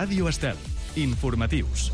Ràdio Estel. Informatius.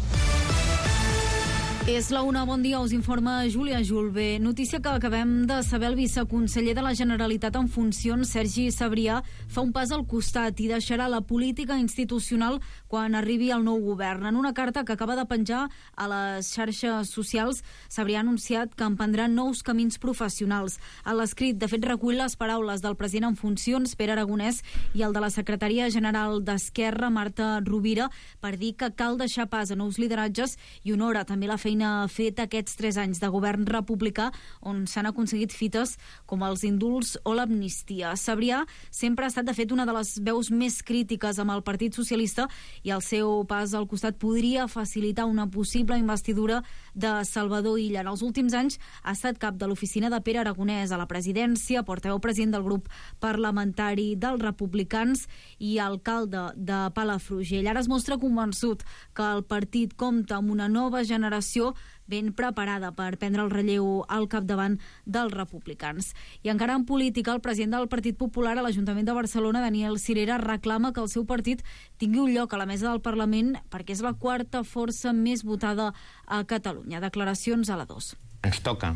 És la una, bon dia, us informa Júlia Julve. Notícia que acabem de saber: el viceconseller de la Generalitat en funcions, Sergi Sabrià, fa un pas al costat i deixarà la política institucional quan arribi el nou govern. En una carta que acaba de penjar a les xarxes socials, Sabrià ha anunciat que emprendrà nous camins professionals. A l'escrit, de fet, recull les paraules del president en funcions, Pere Aragonès, i el de la secretària general d'Esquerra, Marta Rovira, per dir que cal deixar pas a nous lideratges i honora també la feina feta aquests 3 anys de govern republicà, on s'han aconseguit fites com els indults o l'amnistia. Sabrià sempre ha estat, de fet, una de les veus més crítiques amb el Partit Socialista, i el seu pas al costat podria facilitar una possible investidura de Salvador Illa. En els últims anys ha estat cap de l'oficina de Pere Aragonès a la presidència, portaveu president del grup parlamentari dels republicans i alcalde de Palafrugell. Ara es mostra convençut que el partit compta amb una nova generació ben preparada per prendre el relleu al capdavant dels republicans. I encara en política, el president del Partit Popular a l'Ajuntament de Barcelona, Daniel Sirera, reclama que el seu partit tingui un lloc a la mesa del Parlament perquè és la quarta força més votada a Catalunya. Declaracions a la 2. Ens toca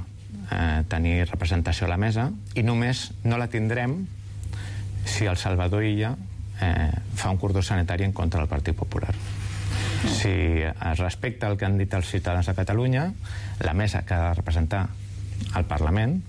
tenir representació a la mesa i només no la tindrem si el Salvador Illa fa un cordó sanitari en contra del Partit Popular. Si es respecta el que han dit els ciutadans de Catalunya, la mesa que ha de representar el Parlament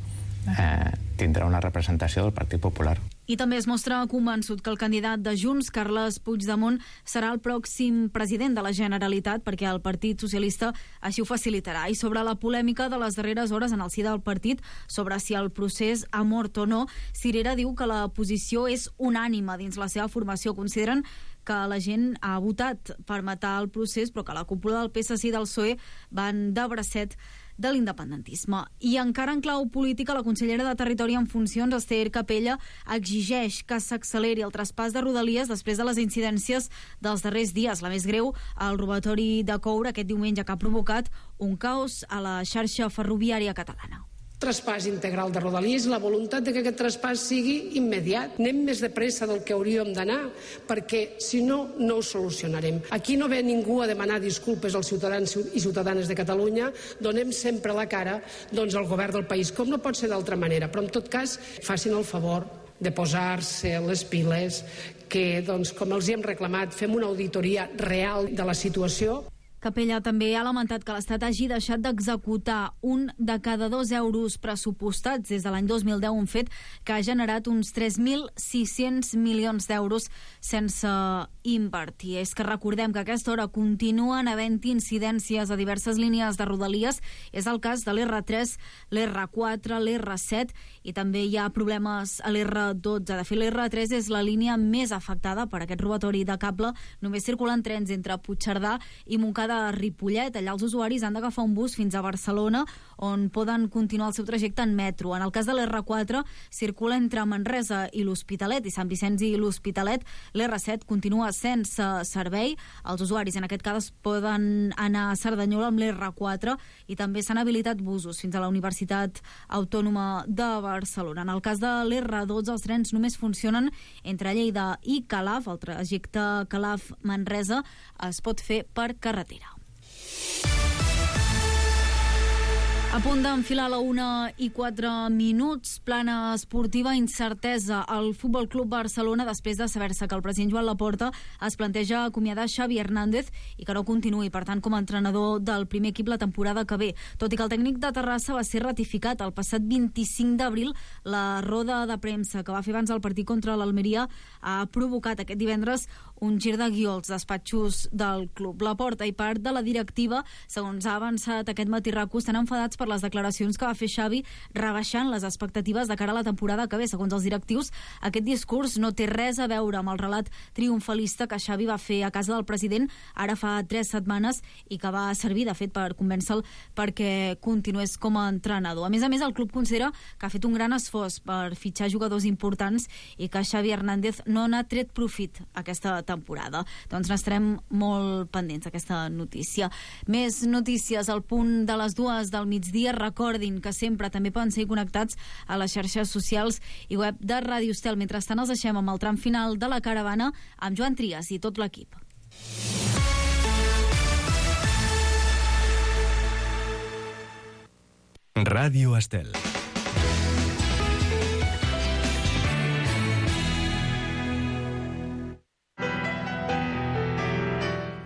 tindrà una representació del Partit Popular. I també es mostra convençut que el candidat de Junts, Carles Puigdemont, serà el pròxim president de la Generalitat, perquè el Partit Socialista així ho facilitarà. I sobre la polèmica de les darreres hores en el si del partit sobre si el procés ha mort o no, Sirera diu que la posició és unànime dins la seva formació. Consideren que la gent ha votat per matar el procés, però que la cúpula del PSC i del PSOE van de bracet de l'independentisme. I encara en clau política, la consellera de Territori en funcions, Ester Capella, exigeix que s'acceleri el traspàs de Rodalies després de les incidències dels darrers dies. La més greu, el robatori de coure aquest diumenge, que ha provocat un caos a la xarxa ferroviària catalana. Traspàs integral de Rodalies, la voluntat de que aquest traspàs sigui immediat. Anem més de pressa del que hauríem d'anar, perquè si no, no ho solucionarem. Aquí no ve ningú a demanar disculpes als ciutadans i ciutadanes de Catalunya, donem sempre la cara al govern del país, com no pot ser d'altra manera, però en tot cas facin el favor de posar-se les piles, que com els hi hem reclamat, fem una auditoria real de la situació. Capella també ha lamentat que l'Estat hagi deixat d'executar 1 de cada 2 euros pressupostats des de l'any 2010, un fet que ha generat uns 3.600 milions d'euros sense invertir. És que recordem que a aquesta hora continuen havent incidències a diverses línies de Rodalies. És el cas de l'R3, l'R4, l'R7, i també hi ha problemes a l'R12. De fet, l'R3 és la línia més afectada per aquest robatori de cable. Només circulen trens entre Puigcerdà i Montcada de Ripollet. Allà els usuaris han d'agafar un bus fins a Barcelona, on poden continuar el seu trajecte en metro. En el cas de l'R4, circula entre Manresa i l'Hospitalet i Sant Vicenç i l'Hospitalet. L'R7 continua sense servei. Els usuaris en aquest cas poden anar a Cerdanyola amb l'R4, i també s'han habilitat busos fins a la Universitat Autònoma de Barcelona. En el cas de l'R12, els trens només funcionen entre Lleida i Calaf. El trajecte Calaf-Manresa es pot fer per carretera. A punt d'enfilar la 1:04, plana esportiva, incertesa al Futbol Club Barcelona després de saber-se que el president Joan Laporta es planteja acomiadar Xavi Hernández i que no continuï, per tant, com a entrenador del primer equip la temporada que ve. Tot i que el tècnic de Terrassa va ser ratificat el passat 25 d'abril, la roda de premsa que va fer abans del partit contra l'Almeria ha provocat aquest divendres un gir de guió als despatxos del club. Laporta i part de la directiva, segons ha avançat aquest matí RACU, estan enfadats per les declaracions que va fer Xavi, rebaixant les expectatives de cara a la temporada que ve. Segons els directius, aquest discurs no té res a veure amb el relat triomfalista que Xavi va fer a casa del president ara fa 3 setmanes i que va servir, de fet, per convèncer-lo perquè continués com a entrenador. A més, el club considera que ha fet un gran esforç per fitxar jugadors importants i que Xavi Hernández no n'ha tret profit aquesta temporada. Doncs n'estarem molt pendents d'aquesta notícia. Més notícies al punt de les 2 del migdia. Recordin que sempre també poden ser connectats a les xarxes socials i web de Ràdio Estel. Mentrestant, els deixem amb el tram final de la caravana amb Joan Trias i tot l'equip. Ràdio Estel.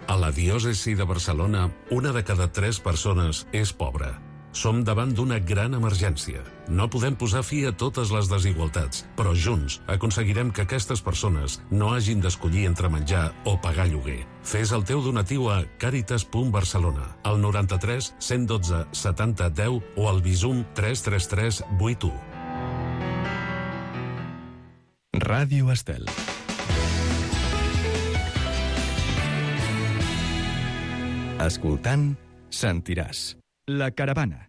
A la diòcesi de Barcelona, 1 de cada 3 persones és pobra. Som davant d'una gran emergència. No podem posar fi a totes les desigualtats, però junts aconseguirem que aquestes persones no hagin d'escollir entre menjar o pagar lloguer. Fes el teu donatiu a caritas.barcelona, al 93 112 70 10 o al Bizum 333 81. Ràdio Estel. Escoltant, sentiràs. La caravana.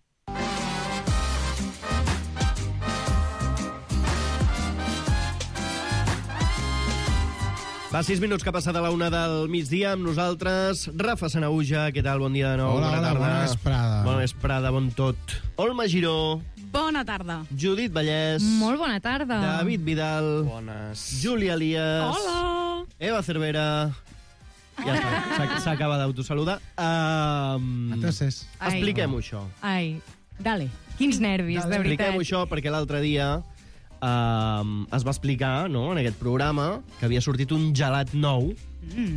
Fa 6 minuts que ha passat a la 1 del migdia amb nosaltres. Rafa Sanahuja, què tal? Bon dia de nou. Hola, bona tarda. bona vesprada. Bona vesprada, bon tot. Olma Giró. Bona tarda. Judit Vallès. Molt bona tarda. David Vidal. Bones. Júlia Elias. Hola. Eva Cervera. Ja està, s'acaba d'autosaludar. Entonces, Expliquem-ho, això. Ai, dale. Quins nervis, de veritat. Expliquem-ho, això, perquè l'altre dia es va explicar, no?, en aquest programa, que havia sortit un gelat nou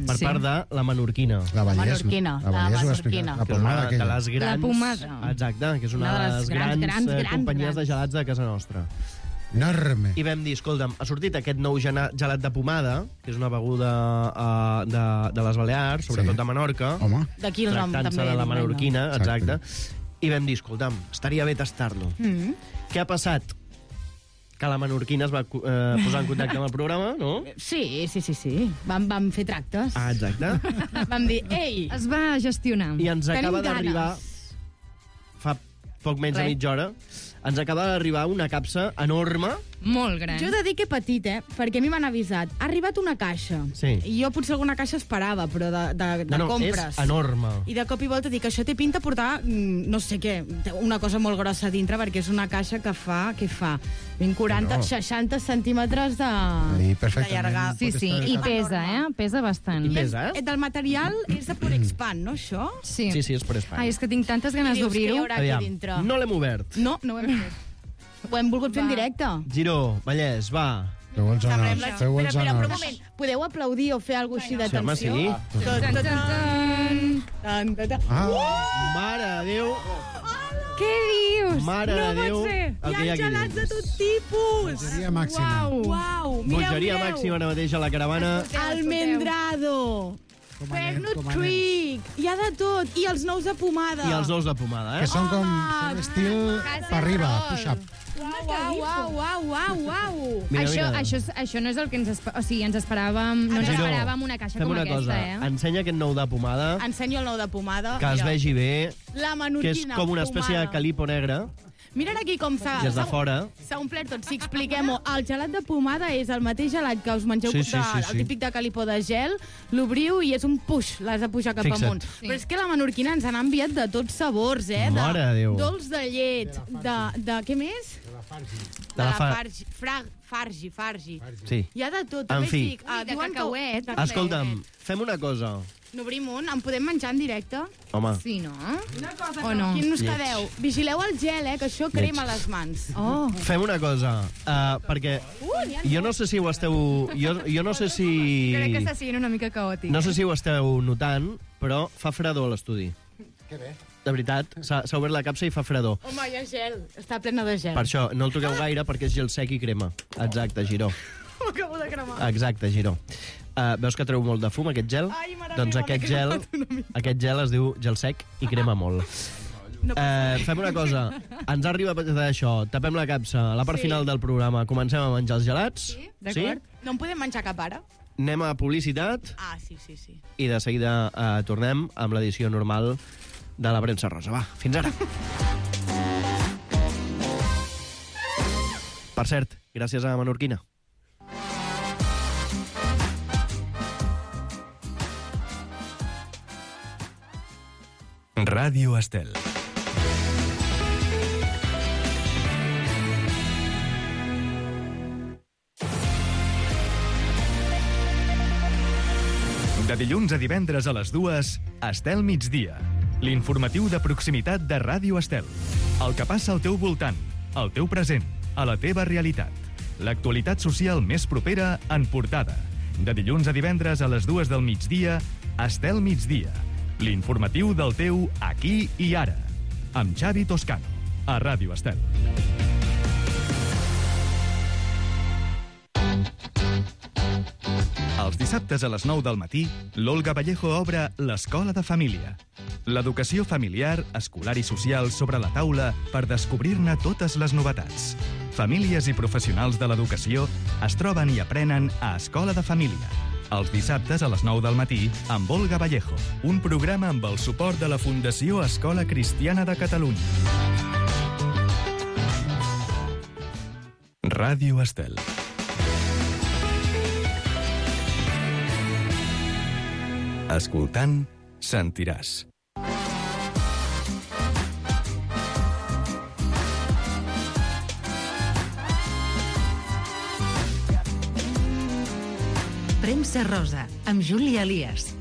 per part de la Menorquina. la Vallès, Menorquina, la Vallès ho va explicar. Menorquina. La Que és una pomada de aquella. les grans... La pomada. Exacte, que és una de les grans companyies de gelats de casa nostra. Enorme. I vam dir, escolta'm, ha sortit aquest nou gelat de pomada, que és una beguda de les Balears, sobretot Sí. de Menorca, Home, D'aquí el nom tractant-se també. de la menorquina, Exacte. exacte. I vam dir, escolta'm, estaria bé tastar-lo. Què ha passat? Que la menorquina es va posar en contacte amb el programa, no? Sí. Vam fer tractes. Ah, exacte. Vam dir, ei, Es va gestionar. I ens Tenim acaba d'arribar, ganes. fa poc menys de mitja hora, ens acaba d'arribar una capsa enorme. Molt gran. Jo he de dir que petit, perquè a mi m'han avisat. Ha arribat una caixa. Sí. I jo potser alguna caixa esperava, però de No, compres. és enorme. I de cop i volta dic, això té pinta portar, no sé què, una cosa molt grossa dintre, perquè és una caixa que fa, 40, No. 60 centímetres de perfectament. llargada. Sí, sí, i pesa, Pesa bastant. I pesa, Del material és de Porexpan, no, això? Sí. Sí, és per Espanya. Ai, és que tinc tantes ganes I dius, què hi d'obrir-ho. haurà aquí dintre? no l'hem obert. No ho hem fet. Ho hem volgut fer en directe. Giró, Vallès, va. Feu els honors, feu els Espera, però un honors. moment. Podeu aplaudir o fer alguna cosa així Sí, home, d'atenció? sí. Tan, tan, tan. Tan, tan, tan. Mare de Déu, Què dius? mare no de Déu. pot ser. el que Hi ha aquí gelats de dins. tot tipus. Bogeria màxima. Uau, Bogeria màxima ara mateix a la caravana. Almendrado. Com anem, Pernod com anem? Trick. Hi ha de tot. I els nous de pomada. I els dos de pomada, Que són com estil per arriba, push-up. Uau. Mira, Això, mira. això no és el que ens esperàvem. No ens Giró, esperàvem una caixa fem com una aquesta, cosa. Ensenya aquest nou de pomada, Ensenyo el nou de pomada. que es Mira. vegi bé, La que menorquina. és com una espècie de pomada. calipo negre, Mira aquí com s'ha... des de fora. S'ha omplert tot. Si expliquem-ho, el gelat de pomada és el mateix gelat que us mengeu, Sí, sí, sí, sí. el típic de calipo de gel, l'obriu i és un puix, l'has de pujar cap Fixa't. amunt. Però és que la menorquina ens han enviat de tots sabors, Mare de Déu. Dolç de llet, de què més? De la Fargi. Sí. Hi ha de tot. En també fi. dic, I de diuen que- cacauet. de Escolta'm, fem una cosa. N'obrim un, en podem menjar en directe? Home, Sí, no? O no? Quin us Lleig. quedeu? Vigileu el gel, que això crema les mans. Oh, fem una cosa, perquè jo no sé si ho esteu... Jo no sé si... crec que està sent una mica caòtic. No sé si ho esteu notant, però fa fredor a l'estudi. Que bé. De veritat, s'ha obert la capsa i fa fredor. Home, hi ha gel. Està plena de gel. Per això, no el toqueu gaire perquè és gel sec i crema. Exacte, Giró. M'acabo de cremar. Exacte, Giró. Veus que treu molt de fum, aquest gel? Ai, mare Doncs meva, aquest m'he gel, cremat una mica. aquest gel es diu gel sec i crema molt. Fem una cosa. Ens ha arribat d'això. Tapem la capsa. A la part Sí. final del programa comencem a menjar els gelats. Sí? D'acord. No en podem menjar cap ara? Anem a publicitat Ah, sí. i de seguida tornem amb l'edició normal de la premsa rosa. Va, fins ara. Per cert, gràcies a Menorquina. Ràdio Estel. De dilluns a divendres a les 2, Estel migdia, l'informatiu de proximitat de Ràdio Estel. El que passa al teu voltant, al teu present, a la teva realitat. L'actualitat social més propera en portada. De dilluns a divendres a les 2 del migdia, Estel Migdia. L'informatiu del teu aquí i ara. Amb Xavi Toscano, a Ràdio Estel. Els dissabtes a les 9 del matí, l'Olga Vallejo obre l'Escola de Família. L'educació familiar, escolar i social sobre la taula per descobrir-ne totes les novetats. Famílies i professionals de l'educació es troben i aprenen a Escola de Família. Els dissabtes a les 9 del matí, amb Olga Vallejo. Un programa amb el suport de la Fundació Escola Cristiana de Catalunya. Ràdio Estel. Escoltant, sentiràs. Premsa Rosa, amb Júlia Elias.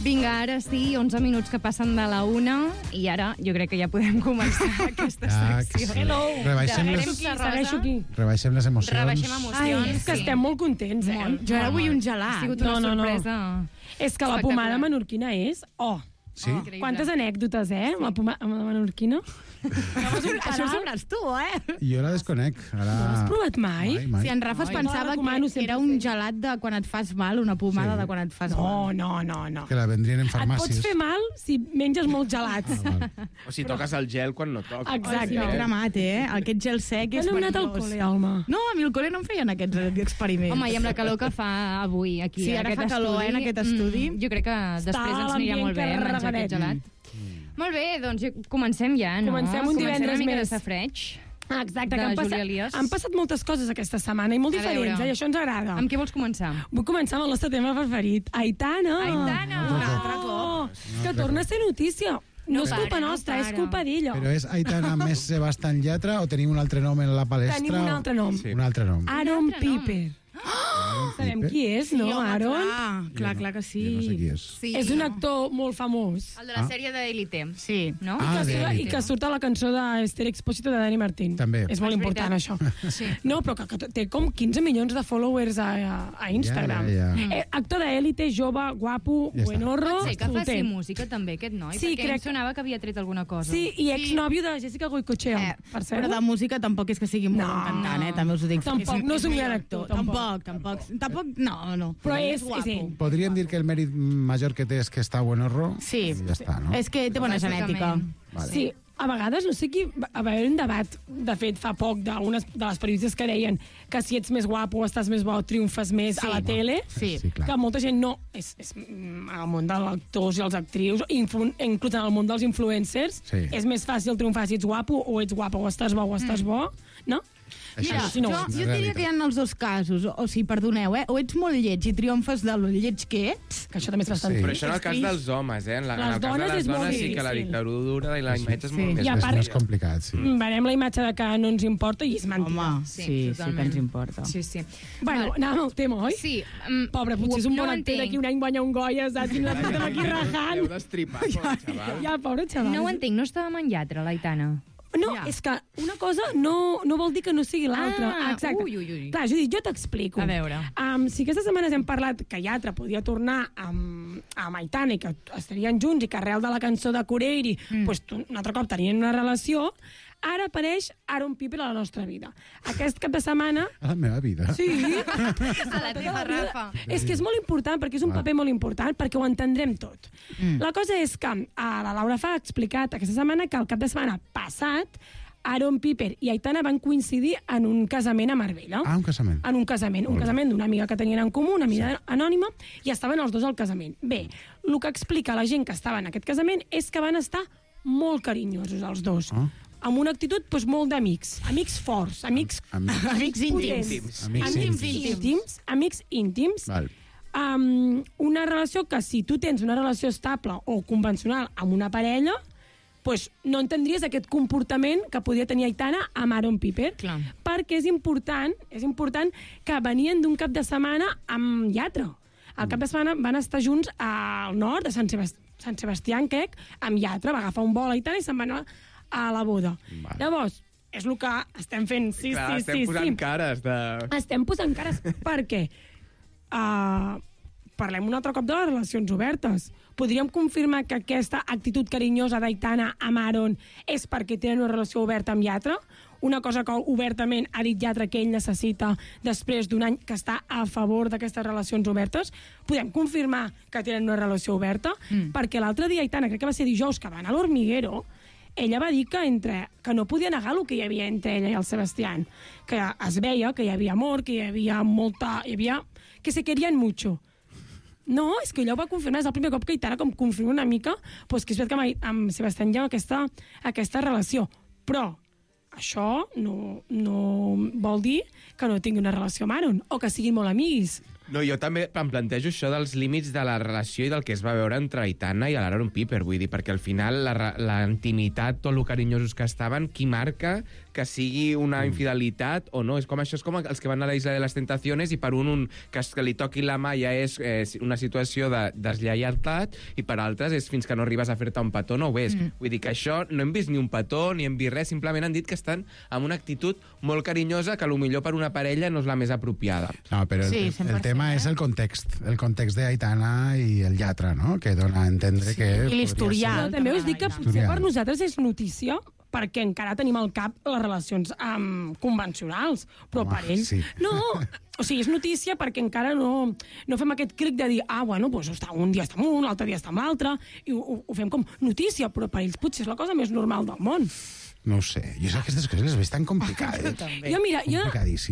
Vinga, ara sí, 11 minuts que passen de la 1 i ara jo crec que ja podem començar aquesta secció. Sí. Rebaixem les emocions. Rebaixem emocions. Ai, és que estem molt contents, eh? Jo ara vull un gelat. Ha sigut una sorpresa. És que la pomada menorquina és... Sí? Quantes anècdotes, amb la menorquina? Això ho sabràs tu, Jo la desconec. No l'has provat mai? Si en Rafa es pensava que era un gelat de quan et fas mal, una pomada de quan et fas mal. No. Que la vendrien en Et farmàcies. pots fer mal si menges molts gelats. O si toques el gel quan no toca. Exacte. Sí, m'he cremat, Aquest gel sec és No hem anat al perillós. col·le, home. No, a mi al col·le no em feien aquests experiments. Home, i amb la calor que fa avui aquí, Sí, ara fa calor, en aquest estudi. Jo crec que després ens anirà molt bé menjar aquest gelat. Molt bé, doncs comencem ja, no? Comencem un divendres una mica més. de safreig. Exacte, que Júlia Elias. han passat moltes coses aquesta setmana i molt A diferents, veure. i això ens agrada. Amb què vols començar? Vull començar amb el nostre tema preferit, Aitana. Un altre cop. Que torna a ser notícia. No és culpa para, nostra, no és para. culpa d'ella. Però és Aitana més Sebastián Yatra o tenim un altre nom en la palestra? Tenim un altre nom. Un altre nom. Aaron Piper. Sabem qui és, no, Aaron? Clar que sí. Jo no sé qui és. Sí. És un actor molt famós. El de la sèrie d'Elite. Sí. No? I que surt a la cançó d'Esther Expósito de Dani Martín. També. És molt important, això. No, però que té com 15 milions de followers a Instagram. Ja. Actor d'Elite, jove, guapo, Ja està. buenorro, Pot ser que faci solter. música també, aquest noi? Sí, perquè crec em sonava que havia tret alguna cosa. Sí, i exnòvio de Jessica Goicoechea, per cert. Però de música tampoc és que sigui molt bon cantant, també us ho dic. Tampoc, no és un gran actor, Tampoc, no. Però és guapo. ell. Podríem dir que el mèrit major que té és que està buenorro? Sí. I ja està, no? És que té bona genètica. Vale. Sí, a vegades, no sé qui... Va haver un debat, de fet, fa poc, de les periodistes que deien que si ets més guapo, estàs més bo, triomfes més a la tele. Sí. Sí, clar. Que molta gent no... És al món dels actors i els actrius, inclús en el món dels influencers, Sí. és més fàcil triomfar si ets guapo o ets guapa o estàs bo, no? Mira, Això si no, jo diria que hi ha els dos casos. O sigui, perdoneu, o ets molt lleig i triomfes de lo lleig que ets. Que això també és bastant... Sí. Però això en el cas dels homes, En el cas de dones les és molt dones sí que la difícil. dictadura i la imatge és molt més... I a És part- més complicat, sí. Venem la imatge de que no ens importa i és mentida. Home, sí que ens importa. Sí, sí. Bueno, anàvem al tema, oi? Sí. Pobre, potser és un bon actor d'aquí un any guanya un Goya, saps? I nosaltres estem aquí rajant. Heu destripat, xaval. Ja, pobre xaval. No ho entenc, no estava en lletra, l'Aitana. No, és que una cosa no vol dir que no sigui l'altra. Ah, Exacte. ui. Clar, Judit, jo t'explico. A veure. Si aquestes setmanes hem parlat que Yatra podia tornar amb Aitana i que estarien junts i que arrel de la cançó de Coreiri pues, un altre cop tenien una relació, ara apareix Aaron Piper a la nostra vida. Aquest cap de setmana... A la meva vida. Sí. A la teva, Rafa. És que és molt important, perquè és un paper molt important, perquè ho entendrem tot. La cosa és que la Laura Fa ha explicat aquesta setmana que el cap de setmana passat Aaron Piper i Aitana van coincidir en un casament a Marbella. Ah, un casament. En un casament. Un casament d'una amiga que tenien en comú, una amiga anònima, i estaven els dos al casament. Bé, el que explica la gent que estava en aquest casament és que van estar molt carinyosos els dos. Amb una actitud doncs, molt d'amics. Amics forts, amics potents. Amics íntims. Val. Una relació que si tu tens una relació estable o convencional amb una parella, pues no entendries aquest comportament que podia tenir Aitana amb Aaron Piper. Clar. Perquè és important que venien d'un cap de setmana amb Yatra. Al cap de setmana van estar junts al nord de Sant Sebastià, en Quec, amb Yatra, va agafar un vol a Itàlia i se'n va anar a la boda. Llavors, és el que estem fent. Sí, Clar, sí, estem sí. posant cares de... Estem posant cares perquè parlem un altre cop de les relacions obertes. Podríem confirmar que aquesta actitud carinyosa d'Aitana amb Aaron és perquè tenen una relació oberta amb Yatra? Una cosa que obertament ha dit Yatra que ell necessita després d'un any que està a favor d'aquestes relacions obertes? Podem confirmar que tenen una relació oberta? Perquè l'altre dia Aitana, crec que va ser dijous, que va anar a l'Hormiguero, ella va dir que no podia negar el que hi havia entre ella i el Sebastián, que es veia que hi havia amor, que hi havia que se querien mucho. No, és que ella ho va confirmar, és el primer cop que Aitana com confirma una mica que és veritat que amb Sebastián hi ha aquesta relació. Però això no vol dir que no tingui una relació amb Aaron o que siguin molt amics. No, jo també em plantejo això dels límits de la relació i del que es va veure entre Aitana i l'Aaron Piper, vull dir, perquè al final la intimitat, tot el carinyosos que estaven, qui marca que sigui una infidelitat o no? És com els que van a la Isla de les Tentaciones i per que li toqui la mà ja és una situació de deslleialtat i per altres és fins que no arribes a fer-te un petó no ho ves. Vull dir que això no hem vist ni un petó ni hem vist res, simplement han dit que estan amb una actitud molt carinyosa que potser per una parella no és la més apropiada. No, però el tema és el context d'Aitana i el Yatra, no? Que dona a entendre que... I l'historial. També us dic que potser per nosaltres és notícia perquè encara tenim al cap les relacions convencionals, però per ells... Sí. No, o sigui, és notícia perquè encara no fem aquest clic de dir bueno, doncs un dia està amb un, l'altre dia està amb l'altre, i ho fem com notícia, però per ells potser és la cosa més normal del món. No ho sé, jo aquestes coses les veig tan complicades. Jo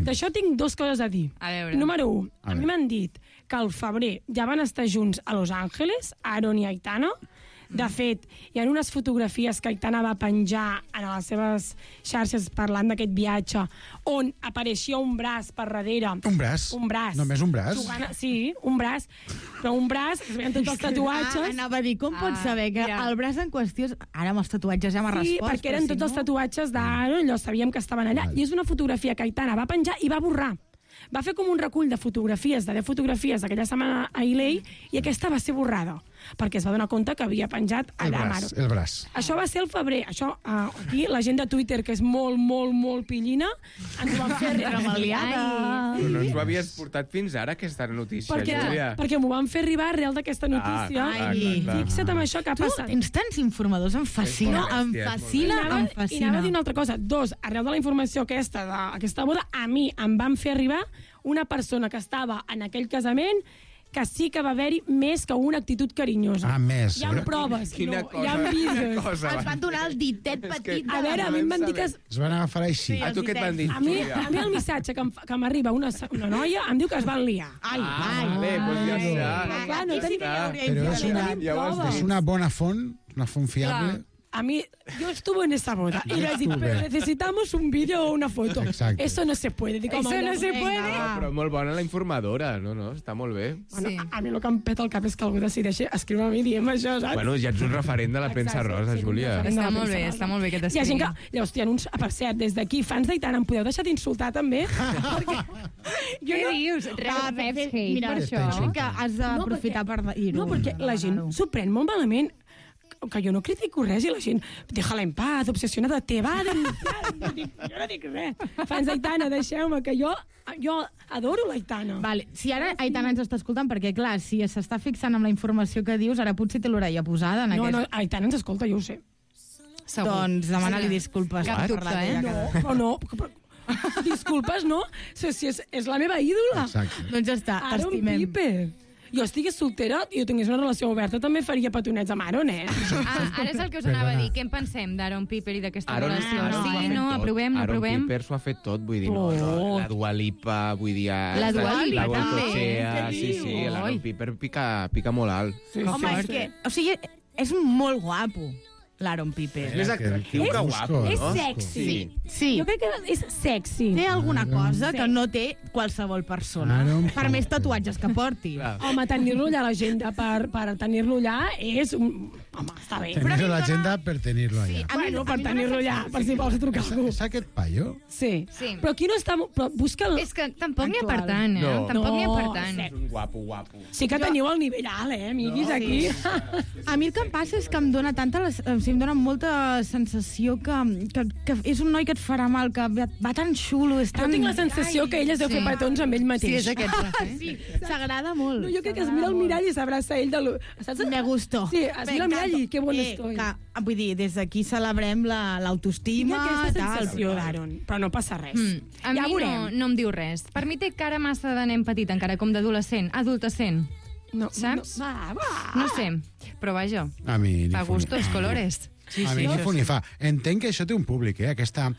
d'això tinc dues coses a dir. Número 1, a mi m'han dit que al febrer ja van estar junts a Los Angeles, Aaron i Aitana. De fet, hi ha unes fotografies que Aitana va penjar en les seves xarxes parlant d'aquest viatge, on apareixia un braç per darrere. Un braç? Un braç. Només un braç? Sí, un braç. Però un braç, que es veien tots els tatuatges. Anava a dir, com pots saber que el braç en qüestió... Ara amb els tatuatges ja m'ha respost. Sí, perquè eren tots els tatuatges d'Aaron, allò sabíem que estaven allà. I és una fotografia que Aitana va penjar i va borrar. Va fer com un recull de fotografies, de 10 fotografies d'aquella setmana a LA, i aquesta va ser borrada, perquè es va donar compte que havia penjat allà a Aaron. El braç. Això va ser el febrer. Això, aquí, la gent de Twitter, que és molt, molt, molt pillina, ens ho van fer remaliada. Però no ens ho havies portat fins ara, aquesta notícia, Júlia. Perquè m'ho van fer arribar arrel d'aquesta notícia. Fixa't amb això que ha passat. Tu tens tants informadors, em fascina, em fascina. I anava a dir una altra cosa. 2, arrel de la informació aquesta, d'aquesta boda, a mi em van fer arribar una persona que estava en aquell casament que sí que va haver-hi més que una actitud carinyosa. Més. Hi ha proves. Quina hi ha vídeos. Ens van donar el ditet petit. A veure, a mi em van dir que... Es van agafar així. A tu què et van dir? A mi el missatge que m'arriba una noia em diu que es van liar. Bé, doncs ja està. Clar, no Però és una bona font, una font fiable. A mí, yo estuve en esa boda y les digo, pero necesitamos un vídeo o una foto. Exacte. Eso no se puede. Digo, eso no se puede. Però molt bona la informadora, no, està molt bé. Bueno, a mi el que em peta el cap és que algú decideixi escriure a mi dient això, saps? Bueno, ja ets un referent de la premsa rosa, Júlia. Està molt bé que t'escrigui. Hi ha gent que... Llavors, hi ha uns... Per cert, des d'aquí, fans d'Aitana, em podeu deixar d'insultar també? Perquè... Què dius? Reps hate. Mira, això, que has d'aprofitar per dir-ho. No, perquè la gent s'ho pren molt malament, que jo no critico res i la gent, déjala en paz, obsessionada, te va a denunciar. Jo no dic res. Fans d'Aitana, deixeu-me, que jo adoro l'Aitana. Vale. Si ara Aitana ens està escoltant, perquè clar, si s'està fixant amb la informació que dius, ara potser té l'orella posada en aquest... No, Aitana ens escolta, jo ho sé. Segur. Doncs demana-li disculpes. Cap dubte, No, disculpes, no? Si és la meva ídola. Exacte. Doncs ja està, t'estimem. Aaron Piper. Jo estigués soltera i jo tingués una relació oberta, també faria petonets amb Aaron, Ara és el que us anava a dir. Què en pensem d'Aaron Piper i d'aquesta relació? Sí, no, aprovem. Aaron Piper s'ho ha fet tot, vull dir, la Dua Lipa, vull dir... La Dua Lipa, també. Sí, l'Aaron Piper pica molt alt. Home, és que... O sigui, és molt guapo. l'Aaron Piper. És més atractiu que guapo, no? És sexy. Sí. Jo crec que és sexy. Té alguna cosa que no té qualsevol persona. Per més tatuatges que porti. Home, tenir-lo allà a l'agenda per tenir-lo allà és... Home, està bé. Tenir-lo a l'agenda per tenir-lo allà. Bueno, per tenir-lo allà, per si vols trucar algú. És aquest paio? Sí. Però aquí no està... Però busca'l... És que tampoc n'hi ha per tant, eh? Tampoc n'hi ha per tant. És un guapo. Sí que teniu el nivell alt, amiguis, aquí. A mi el que em passa és que em dona em dona molta sensació que és un noi que et farà mal, que va tan xulo, és tan... Jo tinc la sensació que ell es deu fer petons amb ell mateix. Sí, és aquest. Sí, s'agrada molt. No, jo crec que es mira al mirall i s'abraça ell de lo... Me gustó. Sí, es mira al mirall i que bon estoy. Vull dir, des d'aquí celebrem l'autoestima. Tinc aquesta sensació d'Aaron, però no passa res. A mi no em diu res. Per mi té cara massa de nen petit, encara com d'adolescent, adultescent. No, saps? No sé, però vaja, A mi a gustos, colores. A mi ni fu ni fa. Entenc que això té un públic, aquesta...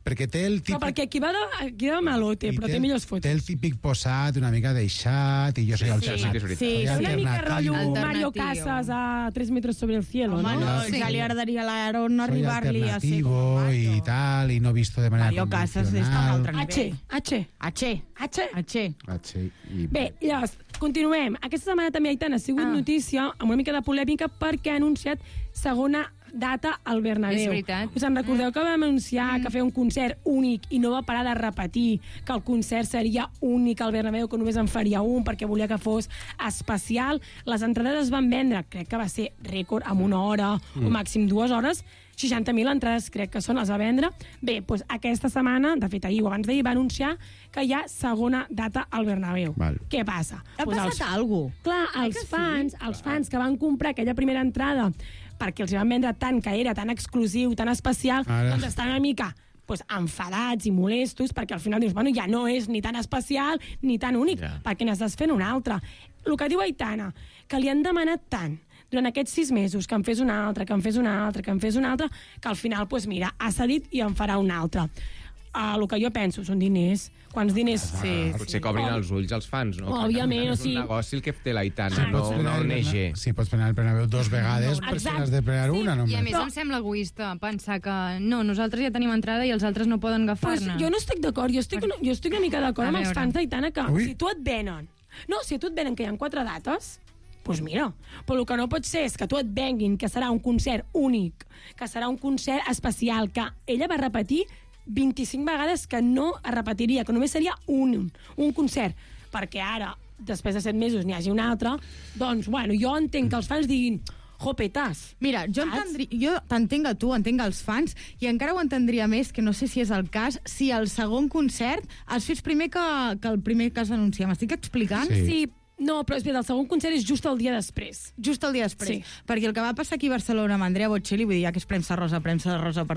Perquè té el típic... Però perquè aquí va de malote, però té millors fotos. Té el típic posat, una mica deixat, i jo soy alternatiu. Sí, una mica rotllo Mario Casas a 3 metros sobre el cielo, ¿no? Ja li agradaria a l'Aaron arribar-li a ser alternativo y tal, y no visto de manera Mario Casas està a un altre nivell. H. Bé, llavors, continuem. Aquesta setmana també Aitana ha sigut notícia amb una mica de polèmica perquè ha anunciat segona data al Bernabéu. És veritat. Us en recordeu que vam anunciar que feia un concert únic i no va parar de repetir que el concert seria únic al Bernabéu, que només en faria un perquè volia que fos especial. Les entrades es van vendre, crec que va ser rècord, en 1 hora o màxim 2 hores. 60.000 entrades crec que les va vendre. Bé, doncs aquesta setmana, de fet ahir o abans d'ahir, va anunciar que hi ha segona data al Bernabéu. Què passa? Ha passat alguna cosa. Clar, els fans que van comprar aquella primera entrada perquè els van vendre tant, que era tan exclusiu, tan especial, doncs estan una mica enfadats i molestos, perquè al final dius, bueno, ja no és ni tan especial ni tan únic, perquè n'estàs fent un altre. El que diu Aitana, que li han demanat tant durant aquests 6 mesos, que en fes un altre, que en fes un altre, que en fes un altre, que al final, doncs mira, ha cedit i en farà un altre. El que jo penso són diners. Quants diners... Potser cobrin els ulls als fans, no? Òbviament, o sigui... És un negoci el que té l'Aitana, no una ONG. Sí, pots prenar el Bernabéu 2 vegades, per si n'has de prenar una només. I a més em sembla egoista pensar que no, nosaltres ja tenim entrada i els altres no poden agafar-ne. Jo no estic d'acord, jo estic una mica d'acord amb els fans d'Aitana que si tu et venen... No, si tu et venen que hi ha 4 dates, doncs mira, però el que no pot ser és que tu et venguin que serà un concert únic, que serà un concert especial, que ella va repetir 25 vegades que no es repetiria, que només seria un concert, perquè ara, després de 7 mesos, n'hi hagi un altre, doncs, bueno, jo entenc que els fans diguin jopetas. Mira, jo t'entenc a tu, entenc els fans, i encara ho entendria més, que no sé si és el cas, si el segon concert es fes primer que el primer que es va anunciar. M'estic explicant? Sí. No, però és bé, el segon concert és just el dia després. Just el dia després. Sí. Perquè el que va passar aquí a Barcelona amb Andrea Bocelli, vull dir, ja que és premsa rosa per